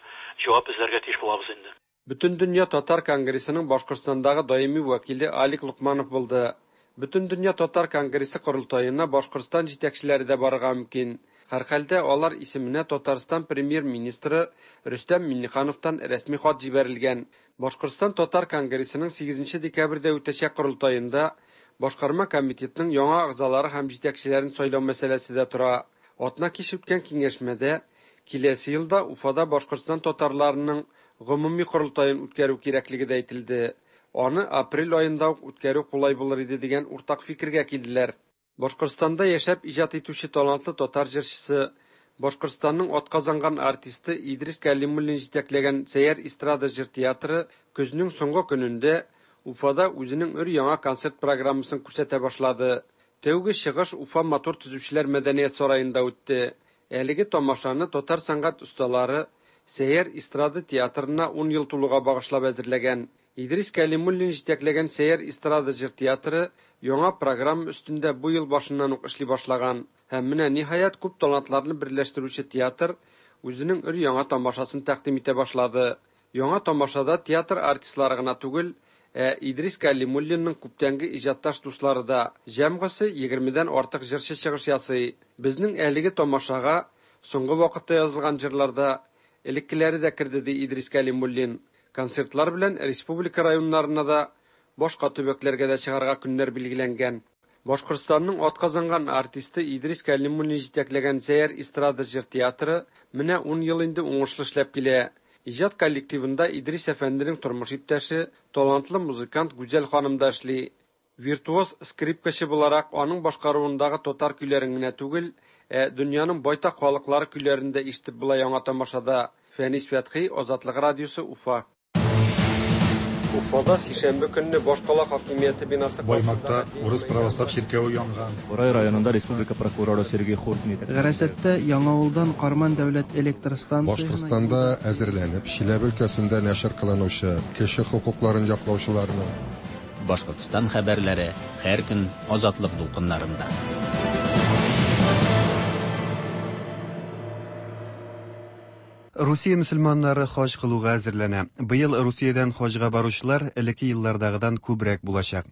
җавап эзләргә тиеш булабыз инде. Бөтендөнья татар конгрессының Башкортстандагы даими вәкиле Алик Локманов булды. Бөтендөнья татар конгрессы корылтаена Башкортстан җитәкчеләре дә барырга мөмкин. Һәрхәлдә алар исеменә Татарстан премьер-министры Рөстәм Миңнехановтан рәсми хат җибәрелгән. Башкортстан татар конгрессының 8 декабрьдә үтәчәк корылтаенда башкарма комитетның яңа әгъзалары һәм җитәкчеләрен сайлау мәсьәләсе дә тора. Атна кич үткән киңәшмәдә киләсе елда Уфада Башкортстан татарларының гомуми корылтаен үткәрү кирәклеге дә әйтелде. Аны апрель аенда ук үткәрү кулай булыр иде дигән уртак фикергә килделәр. Башкортстанда яшәп иҗат итүче талантлы татар җырчысы, Башкортстанның атказанган артисты Идрис Кәлимуллин җитәкләгән Сәйяр эстрада җыр театры көзнең соңгы көнендә Уфада үзенең өр-яңа концерт программасын күрсәтә башлады. Тәүге чыгыш Уфа матур төзүчеләр мәдәният сараенда үтте. Әлеге тамашаны татар сәнгать осталары Сәйяр эстрада театрына 10 ел тулуга багышлап әзерләгән. Идрис Кәлимуллин җитәкләгән Сәйяр эстрада җыр театры яңа программа өстендә бу ел башыннан ук эшли башлаган. Һәм менә ниһаять күп талантларны берләштерүче театр үзенең өр-яңа тамашасын тәкъдим итә башлады. Яңа тамашада театр артистлары гына түгел, ә Идрис Кәлимуллинның күптәнге иҗатташ дуслары да, җәмгысе 20-дән артык җырчы чыгыш ясый. Безнең әлеге тамашага соңгы вакытта язылган җырларда элеккеләре дә керде, ди Идрис Кәлимуллин. Концертлар белән республика районнарына да, башка төбәкләргә дә чыгарга көннәр билгеләнгән. Башкортстанның атказанган артисты Идрис Кәлимуллин җитәкләгән Сәйяр эстрада җыр театры менә 10 ел инде уңышлы эшләп килә. Иҗат коллективында Идрис әфәнденең тормыш иптәше, талантлы музыкант Гүзәл ханым да эшли. Виртуоз скрипкачы буларак аның башкаруындагы татар көйләрен генә түгел, ә дөньяның байтак халыклары көйләрен дә ишетеп була яңа тамашада. Фәнис Фәтхи, Азатлык радиосы, Уфа. Уфада сишәмбе көнне башкала хакимияте бинасы Баймакта урыс православ чиркәве янган. Борай районында республика прокуроры Сергей Хуркин Гарасатта Яңавылдан Карман дәүләт электр станциясенә Башкортстанда әзерләнеп, Чиләбе өлкәсендә нәшер кылынучы кеше хокукларын яклаучыларның Башкортстан хәбәрләре һәр көн Азатлык дулкыннарында. Русия мөселманнары хаҗ кылуга әзерләнә. Быел Русиядән хаҗга баручылар элекке еллардагыдан күбрәк булачак.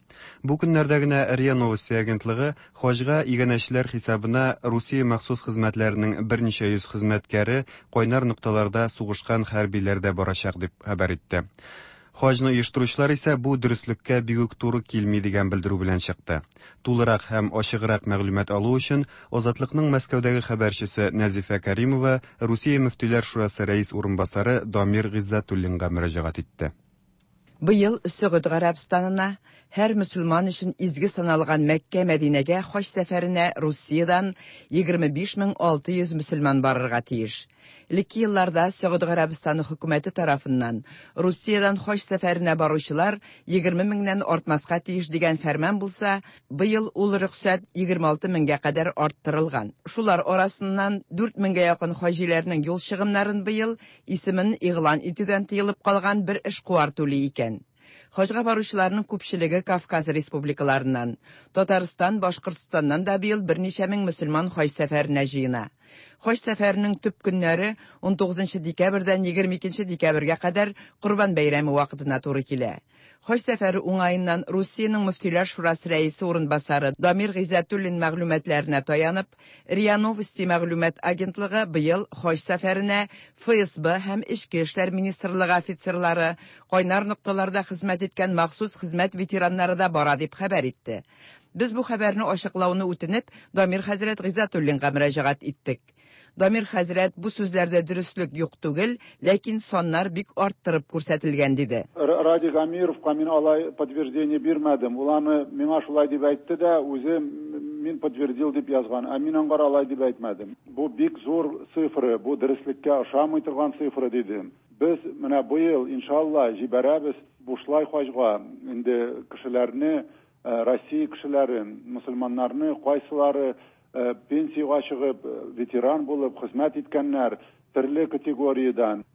Бу көннәрдә генә РИА Новости агентлыгы хаҗга иганәчеләр хисабына Русия махсус хезмәтләренең берничә йөз хезмәткәре кайнар нокталарда сугышкан хәрбиләр дә барачак дип хәбәр итте. Хаҗны оештыручылар исә бу дөреслеккә бик үк туры килми дигән белдерү белән чыкты. Тулырак һәм ачыграк мәгълүмат алу өчен Азатлыкның Мәскәүдәге хәбәрчесе Нәзифә Кәримова Русия мөфтиләр шурасы рәис урынбасары Дамир Гыйззәтуллинга мөрәҗәгать итте. Быел Сөгуд Гарәбстанына һәр мөселман өчен изге саналган Мәккә Мәдинәгә хаҗ сәфәренә Русиядән 25600 мөселман барырга тиеш. Элекке елларда Сөгуд Гарәбстаны хөкүмәте тарафыннан Русиядән хаҗ сәфәренә баручылар 20 меңнән артмаска тиеш дигән фәрман булса, быел ул рөхсәт 26 меңгә кадәр арттырылган. Шулар арасыннан 4 меңгә якын хаҗиләрнең юл чыгымнарын быел исемен игълан итүдән тыелып калган бер эшкуар түли икән. Хаҗга баручыларның күпчелеге Кавказ республикаларыннан. Татарстан, Башкортстаннан да быел берничә мең мөселман хаҗ сәфәренә җыена. Хаҗ сәфәренең төп көннәре 19 декабрьдән 22 декабрьгә кадәр Корбан бәйрәме вакытына туры килә. Хаҗ сәфәре уңаеннан Русиянең Мөфтиләр шурасы рәисе урынбасары Дамир Гыйззәтуллин мәгълүматларына таянып, РИА Новости мәгълүмат агентлыгы быел хаҗ сәфәренә ФСБ һәм Эчке эшләр министрлыгы офицерлары, кайнар нокталарда хезмәт иткән махсус хезмәт ветераннары да бара дип хәбәр итте. Без бу хәбәрне ачыклауны үтенеп, Дамир хәзрәт Гыйззәтуллинга мөрәҗәгать иттек. Дамир хәзрәт бу сүзләрдә дөреслек юк түгел, ләкин саннар бик арттырып күрсәтелгән диде. Радик Амировка мин алай подтверждение бирмәдем. Ул аны миңа шулай дип әйтте дә, үзе мин подтвердил дип язган. Ә мин аңгар алай дип әйтмәдем. Бу бик зур цифра, бу дөреслеккә ошамый торган цифра дидем. Без менә быел, иншалла, җибәрәбез бушлай хаҗга инде кешеләрне, Россия кешеләрен, мусульманнарны, кайсылары пенсиягә чыгып, ветеран булып хезмәт иткәннәр, төрле категориядән,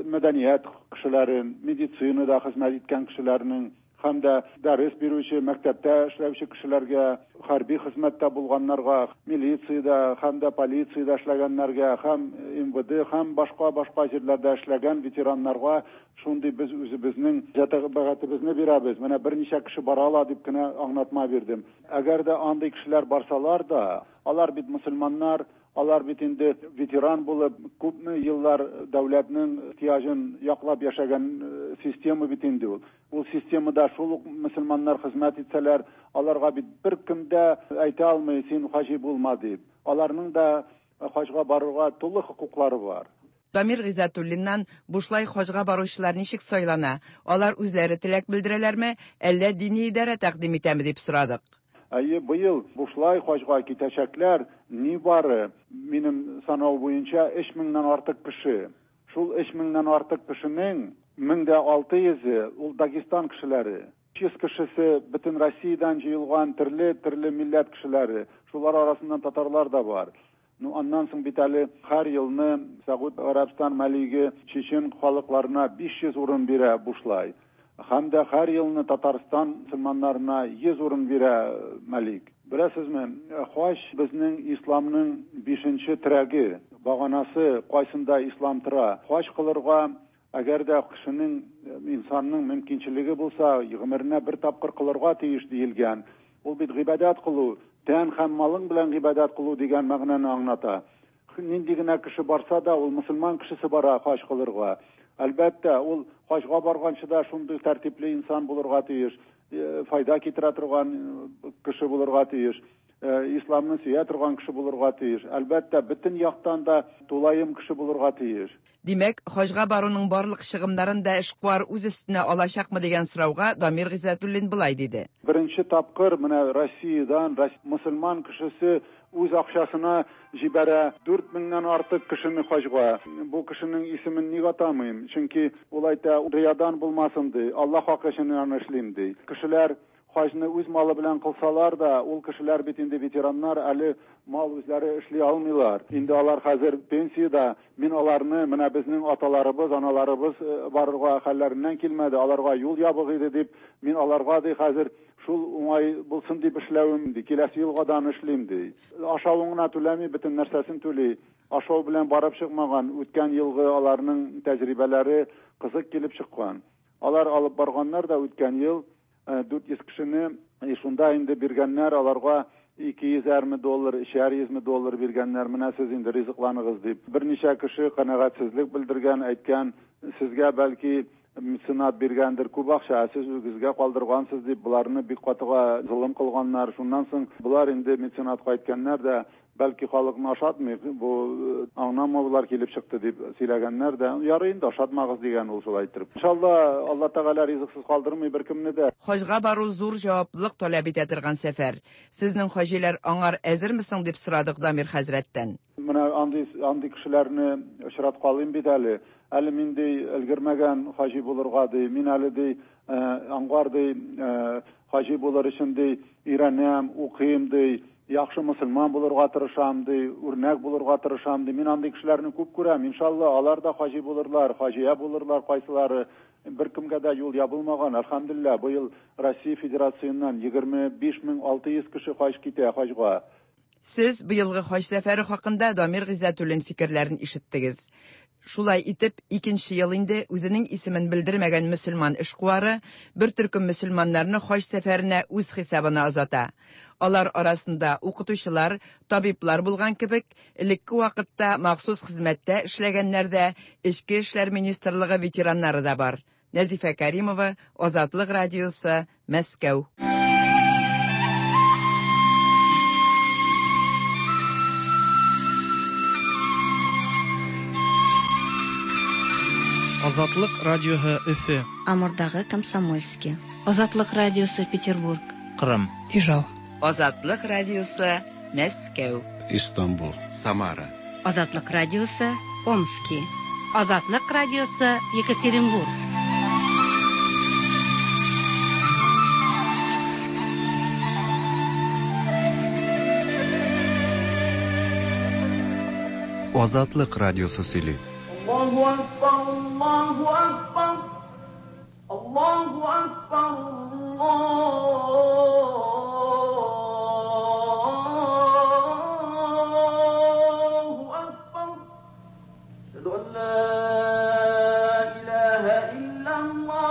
мәдәният кешеләрен, медицинада хезмәт иткән кешеләрнең һәм дә дәрес бирүче, мәктәптә эшләүче кешеләргә, хәрби хезмәттә булганнарга, милициядә һәм дә полициядә эшләгәннәргә, һәм МВД һәм башка-башка җирләрдә эшләгән ветераннарга шундый без үзебезнең җәтәбәгатебезне бирәбез. Менә берничә кеше бара ала дип кенә аңлатма бирдем. Әгәр дә андый кешеләр барсалар да, алар бит мусульманнар, алар бит инде ветеран булып, күпме еллар дәүләтнең ихтыяҗын яклап яшәгән система бит инде ул. Ул системада шул ук мусульманнар хезмәт итсәләр, аларга бит беркем дә әйтә алмый, син хаҗи булма дип. Аларның да хаҗга барырга тулы хокуклары бар. Дамир Гыйззәтуллиннан бушлай хаҗга баручылар ничек сайлана, алар үзләре теләк белдерәләрме, әллә дини идарә тәкъдим итәме дип сорадык. Әйе, быел бушлай хаҗга китәчәкләр нибары, минем санау буенча, 3000-нән артык кеше. Шул 3000-нән артык кешенең 1600-е ул Дагестан кешеләре. 300 кешесе бөтен Россиядән җыелган төрле-төрле милләт кешеләре. Шулар арасыннан татарлар да бар. Ну, аннан соң бит әле һәр елны Сәгуд Гарәбстан мәлиге чечен халыкларына 500 урын бирә бушлай. Һәм дә һәр елны Татарстан мусульманнарына 100 урын бирә мәлик. Беләсезме, хаҗ безнең исламның 5нче терәге, баганасы, кайсында ислам тора. Хаҗ кылырга әгәр дә кешенең, инсанның мөмкинчелеге булса, гомеренә бер тапкыр кылырга тиеш диелгән. Ул бит гыйбадәт кылу, тән һәм малың белән гыйбадәт кылу дигән мәгънәне аңлата. Нинди генә кеше барса да, ул мусульман кешесе бара хаҗ кылырга. Әлбәттә, ул хаҗга барганчы да шундый тәртипле инсан булырга тиеш, файда китерә торган кеше булырга тиеш, исламны сөя торган кеше булырга тиеш. Әлбәттә, бөтен яктан да тулаем кеше булырга тиеш. Димәк, хаҗга баруның барлык чыгымнарын да эшкуар үз өстенә алачакмы дигән сорауга Дамир Гыйззәтуллин былай диде. Беренче тапкыр менә Россиядән мусульман кешесе үз акчасына җибәрә 4000-нән артык кешене хаҗга. Бу кешенең исемен ник атамыйм? Чөнки ул әйтә, риядан булмасын ди, Аллаһ хакы өчен аны эшлим ди. Кешеләр хаҗны үз малы белән кылсалар да, ул кешеләр бит инде ветераннар, әле мал үзләре эшли алмыйлар. Инде алар хәзер пенсиядә. Мин аларны, менә безнең аталарыбыз, аналарыбыз барырга хәлләреннән килмәде, аларга юл ябык иде дип, мин аларга ди хәзер шул уңай булсын дип эшләвем ди, киләсе елга да аны эшлим ди. Ашавын гына түләми, бөтен нәрсәсен түли. Ашау белән барып чыкмаган, үткән елгы аларның тәҗрибәләре кызык килеп чыккан. Алар алып барганнар да үткән ел 400 кешене шунда инде биргәннәр, аларга 200 доллар, 300 доллар биргәннәр, менә сез инде ризыкланыгыз дип. Берничә кеше канәгатьсезлек белдергән, әйткән, сезгә бәлки меценат биргәндер күп акча, ә сез үзегезгә калдыргансыз дип, боларны бик катыга золым кылганнар. Шуннан соң болар инде меценатка әйткәннәр дә, бәлки халыкны ашатмый, бу аңламаулар килеп чыкты дип сөйләгәннәр дә, ярый инде ашатмагыз дигән ул шулай иттереп. Иншалла, Алла Тәгалә ризыксыз калдырмый беркемне дә. Хаҗга бару зур җаваплылык таләп итә торган сәфәр. Сезнең хаҗиләр аңар әзерме соң дип сорадык Дамир хәзрәттән. Менә андый кешеләрне очраткалыйм бит әле. Әле мин ди өлгермәгән хаҗи булырга ди, мин әле ди аңгар ди хаҗи булыр өчен ди өйрәнәм, укыйм ди, яхшы мусульман булырга тырышам ди, үрнәк булырга тырышам ди. Мин андый кешеләрне күп күрәм. Иншалла, алар да хаҗи булырлар, хаҗия булырлар кайсылары. Беркемгә дә юл ябылмаган, әлхәмдүлилләһ, быел Россия Федерациясеннән 25600 кеше хаҗ китә хаҗга. Сез быелгы хаҗ сәфәре хакында Дамир Гыйззәтуллин фикерләрен ишеттегез. Шулай итеп, икенче ел инде үзенең исемен белдермәгән мөселман эшкуары бер төркем мөселманнарны хаҗ сәфәренә үз хисабына озата. Алар арасында укытучылар, табиблар булган кебек, элекке вакытта махсус хезмәттә эшләгәннәр дә, Эчке эшләр министрлыгы ветераннары да бар. Нәзифә Кәримова, Азатлык радиосы, Мәскәү. Азатлык радиоһы Өфе. Амурдагы Комсомольски. Азатлык радиосы Петербург. Кырым. Ижау. Азатлык радиосы Мәскәү. Истанбул. Самара. Азатлык радиосы Омски. Азатлык радиосы Екатеринбург. Азатлык радиосы сөйли. Аллаһу акбар, Аллаһу акбар. Аллаһу акбар, Аллаһу акбар. Әшһәду ан ла илаһа иллаллаһ.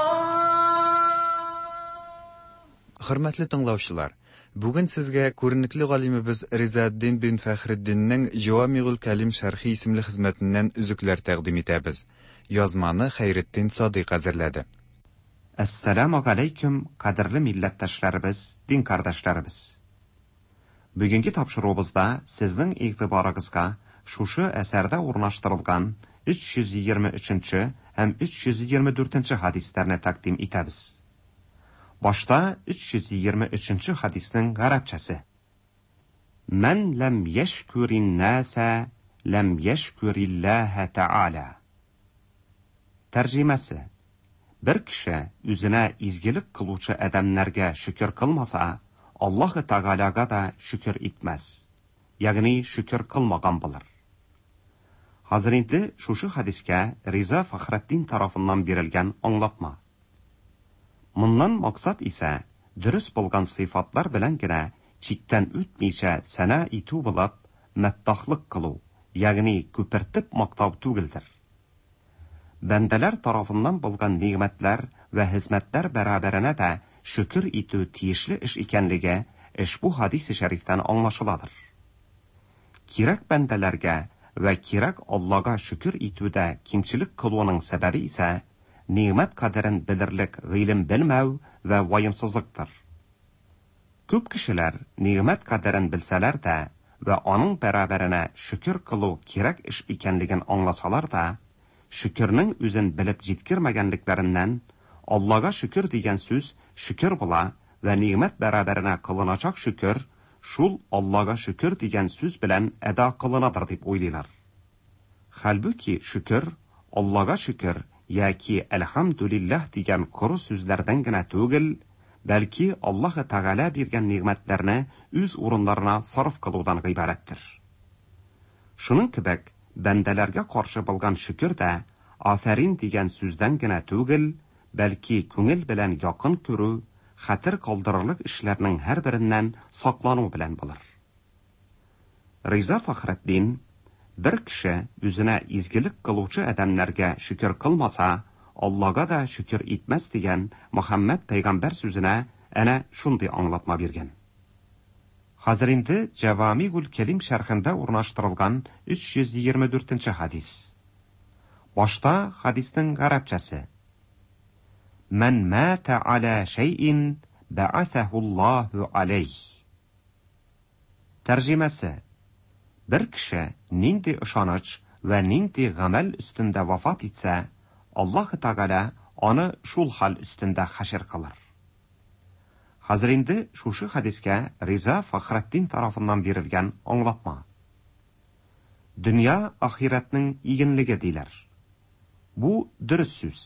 Хөрмәтле тыңлаучылар, бүген сезгә күренекле галимебез Ризаэддин бин Фәхретдиннең Җавамигуль Кәлим шәрхи исемле хезмәтеннән өзекләр тәкъдим итәбез. Язманы Хәйретдин Садыйк әзерләде. Әссәламү галәйкүм, кадерле милләттәшләребез, дин кардәшләребез! Бүгенге тапшыруыбызда сезнең игътибарыгызга шушы әсәрдә урнаштырылган 323 нче һәм 324 нче хәдисләрне тәкъдим итәбез. Башта 323 нче хәдиснең гарәпчәсе. Мән ләм йәшкүрин нәсә ләм йәшкүрилләһә тәгалә. Тәрҗемәсе, Бер кеше үзенә изгелек кылучы адәмнәргә шөкер кылмаса, Аллаһы Тәгаләгә дә шөкер итмәс, ягъни шөкер кылмаган булыр. Хәзер инде шушы хәдискә Риза Фәхретдин тарафыннан бирелгән аңлатма. Моннан максат исә дөрес булган сыйфатлар белән генә чиктән үтмичә сәна итү булып, мәддахлык кылу, ягъни күпертеп мактау түгелдер. Бәндәләр тарафыннан булган нигъмәтләр вә хезмәтләр бәрабәренә дә шөкер итү тиешле эш икәнлеге ошбу хәдисе шәрифтән аңлашыладыр. Кирәк бәндәләргә вә кирәк Аллага шөкер итүдә кимчелек кылуның сәбәбе исә, нигъмәт кадерен белерлек гыйлем белмәү вә ваемсызлыктыр. Күп кешеләр нигъмәт кадерен белсәләр дә вә аның бәрабәренә шөкер кылу кирәк эш икәнлеген аңласалар да, шөкернең үзен белеп җиткермәгәнлекләреннән, Аллага шөкер дигән сүз шөкер була вә нигъмәт бәрабәренә кылыначак шөкер шул Аллага шөкер дигән сүз белән әда кылынадыр дип уйлыйлар. Хәлбуки шөкер, Аллага шөкер яки Әлхәмдүлилләһ дигән коры сүзләрдән генә түгел, бәлки Аллаһы Тәгалә биргән нигъмәтләрне үз урыннарына сарыф кылудан гыйбарәттер. Шуның кебек, бәндәләргә каршы булган шөкер дә афәрин дигән сүздән генә түгел, бәлки күңел белән якын күрү, хәтер калдырырлык эшләрнең һәрбереннән саклану белән булыр. Риза Фәхретдин, Бер кеше үзенә изгелек кылучы адәмнәргә шөкер кылмаса, Аллага да шөкер итмәс дигән Мөхәммәд пәйгамбәр сүзенә әнә шундый аңлатма биргән. Хәзер инде Җәвамигуль Кәлим шәрхендә урнаштырылган 324 нче хәдис. Башта хәдиснең гарәпчәсе. Мән мәтә аля шәйин бәгәсәһуллаһу алейх. Тәрҗемәсе, Бер кеше нинди ышаныч вә нинди гамәл өстендә вафат итсә, Аллаһы Тәгалә аны шул хәл өстендә хәшер кылыр. Хәзер инде шушы хәдискә Риза Фәхретдин тарафыннан бирелгән аңлатма. Дөнья ахирәтнең игенлеге диләр. Бу дөрес сүз.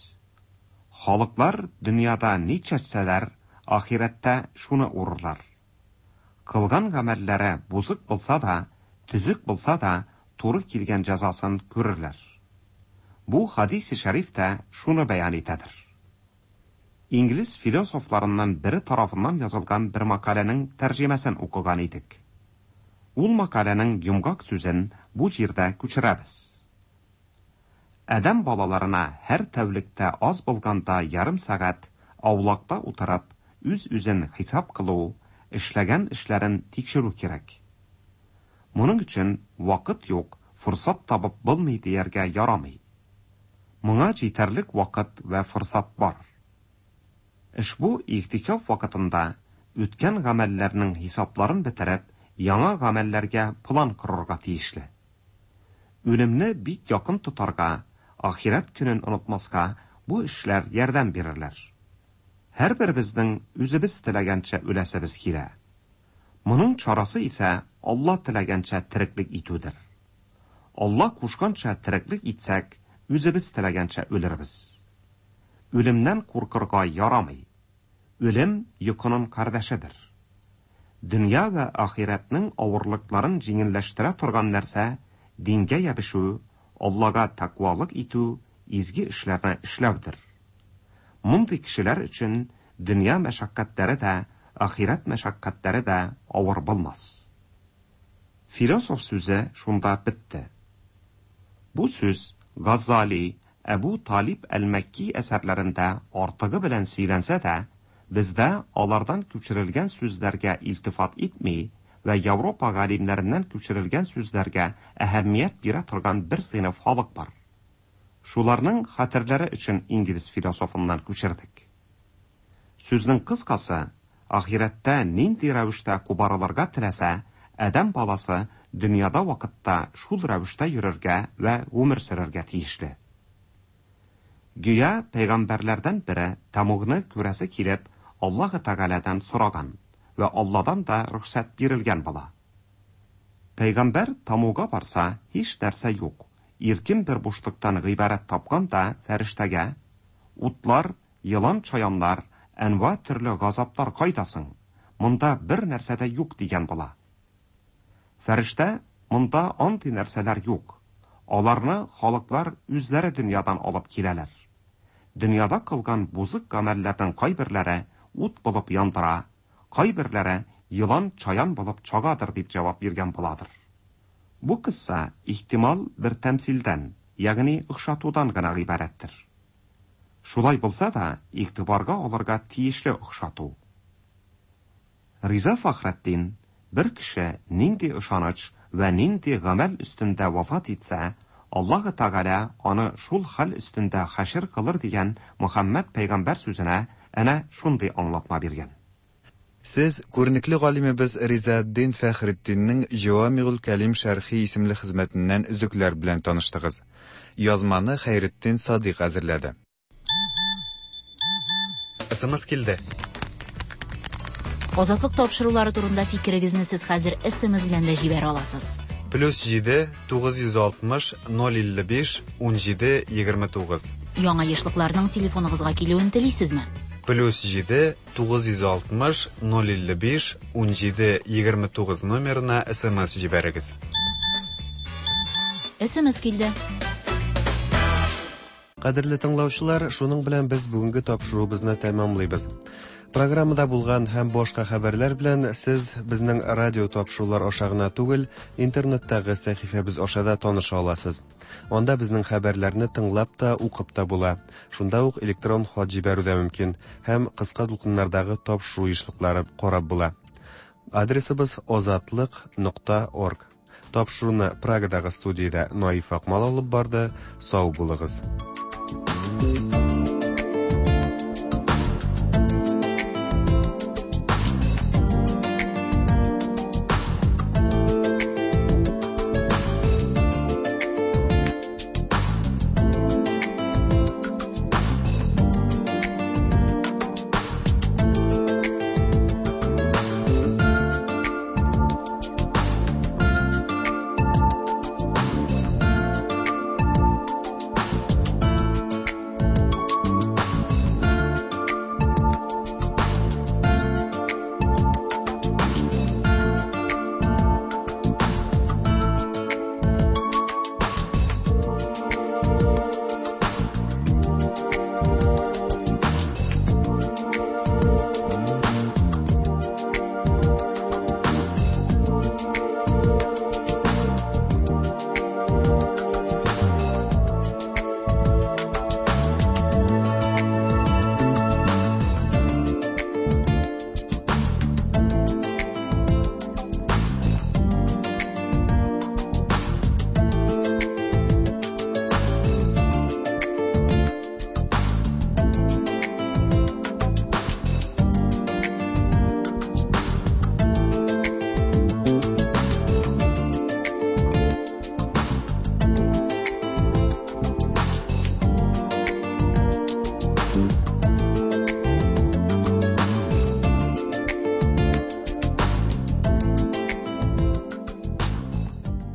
Халыклар дөньяда ни чәчсәләр, ахирәттә шуны урырлар. Кылган гамәлләре бозык булса да, төзек булса да, туры килгән җәзасын күрерләр. Бу хадисе шәриф тә шуны бәян итәдер. инглиз философларыннан бере тарафыннан язылган бер мәкаләнең тәрҗемәсен укыган идек. Ул мәкаләнең йомгак сүзен бу җирдә күчерәбез. Адәм балаларына һәр тәүлектә аз булганда ярым сәгать аулакта утырып, үз-үзен хисап кылу, эшләгән эшләрен тикшерү кирәк. Моның өчен вакыт юк, форсат табып булмый дияргә ярамый. Моңа җитәрлек вакыт вә форсат бар. Ошбу игътикаф вакытында үткән гамәлләрнең хисапларын бетереп, яңа гамәлләргә план корырга тиешле. Үлемне бик якын тотарга, ахирәт көнен онытмаска бу эшләр ярдәм бирерләр. Һәрберебезнең үзебез теләгәнчә үләсебез килә. Моның чарасы исә Алла теләгәнчә тереклек итүдер. Алла кушканча тереклек итсәк, үзебез теләгәнчә үлербез. Үлемнән куркырга ярамый. Үлем йокының кардәшедер. Дөнья вә ахирәтнең авырлыкларын җиңелләштерә торган нәрсә дингә ябышү, Аллага тәкъвалык итү, изге эшләрне эшләүдер. Мондый кешеләр өчен дөнья мәшәкатьләре дә, ахирәт мәшәкатьләре дә авыр булмас. Философ сүзе шунда бетте. Бу сүз Газали, Әбу Талиб әл-Мәкки әсәрләрендә артыгы белән сөйләнсә дә, бездә алардан күчерелгән сүзләргә илтифат итми вә Европа галимнәреннән күчерелгән сүзләргә әһәмият бирә торган бер сыйныф халык бар. Шуларның хәтерләре өчен инглиз философыннан күчердек. Сүзнең кыскасы, ахирәттә нинди рәвештә кубарылырга теләсә, адәм баласы дөньяда вакытта шул рәвештә йөрергә вә гомер сөрергә тиешле. Гүя пәйгамбәрләрдән бере тәмугны күрәсе килеп, Аллаһы Тәгаләдән сораган вә Алладан да рөхсәт бирелгән була. Пәйгамбәр тамуга барса, һич нәрсә юк. Иркен бер бушлыктан гыйбарәт тапкан да фәрештәгә: "Утлар, елан чаяннар, әнва төрле газаплар кайда соң? Монда бер нәрсә дә юк", дигән була. Фәрештә: "Монда андый нәрсәләр юк. Аларны халыклар үзләре дөньядан алып киләләр. Дөньяда кылган бузык гамәлләрнең кайберләре ут булып яндыра, кайберләре елан чаян булып чагадыр, дип җавап биргән буладыр. Бу кысса ихтимал бер тәмсилдән, ягъни охшатудан гына гыйбарәттер. Шулай булса да, игътибарга алырга тиешле охшату. Риза Фәхретдин бер кеше нинди ышаныч вә нинди гамәл өстендә вафат итсә, Аллаһы Тәгалә аны шул хәл өстендә хәшер кылыр дигән Мөхәммәд пәйгамбәр сүзенә әнә шундый аңлатма биргән. Сез күренекле галимебез Ризаэддин Фәхретдиннең Җәвамигуль кәлим шәрхи исемле хезмәтеннән өзекләр белән таныштыгыз. Язманы Хәйретдин Садыйк әзерләде. СМС килде. Азатлык тапшырулары турында фикерегезне сез хәзер СМС белән дә җибәрә аласыз. Плюс 7 960 055 17 29. Яңа ешлыкларның телефоныгызга килүен телисезме? Плюс 7 960 055 17 29 номерына СМС җибәрегез. СМС килде. Кадерле тыңлаучылар, шуның белән без бүгенге тапшыруыбызны тәмамлыйбыз. Программада булган һәм башка хәбәрләр белән сез безнең радио тапшырулар аша гына түгел, интернеттагы сәхифәбез аша да таныша аласыз. Анда безнең хәбәрләрне тыңлап та, укып та була. Шунда ук электрон хат җибәрү дә мөмкин һәм кыска дулкыннардагы тапшыру ешлыклары карап була. Адресыбыз озатлык.орг. Тапшыруны Прагадагы студиядә Наиф Акмал алып барды. Сау булыгыз.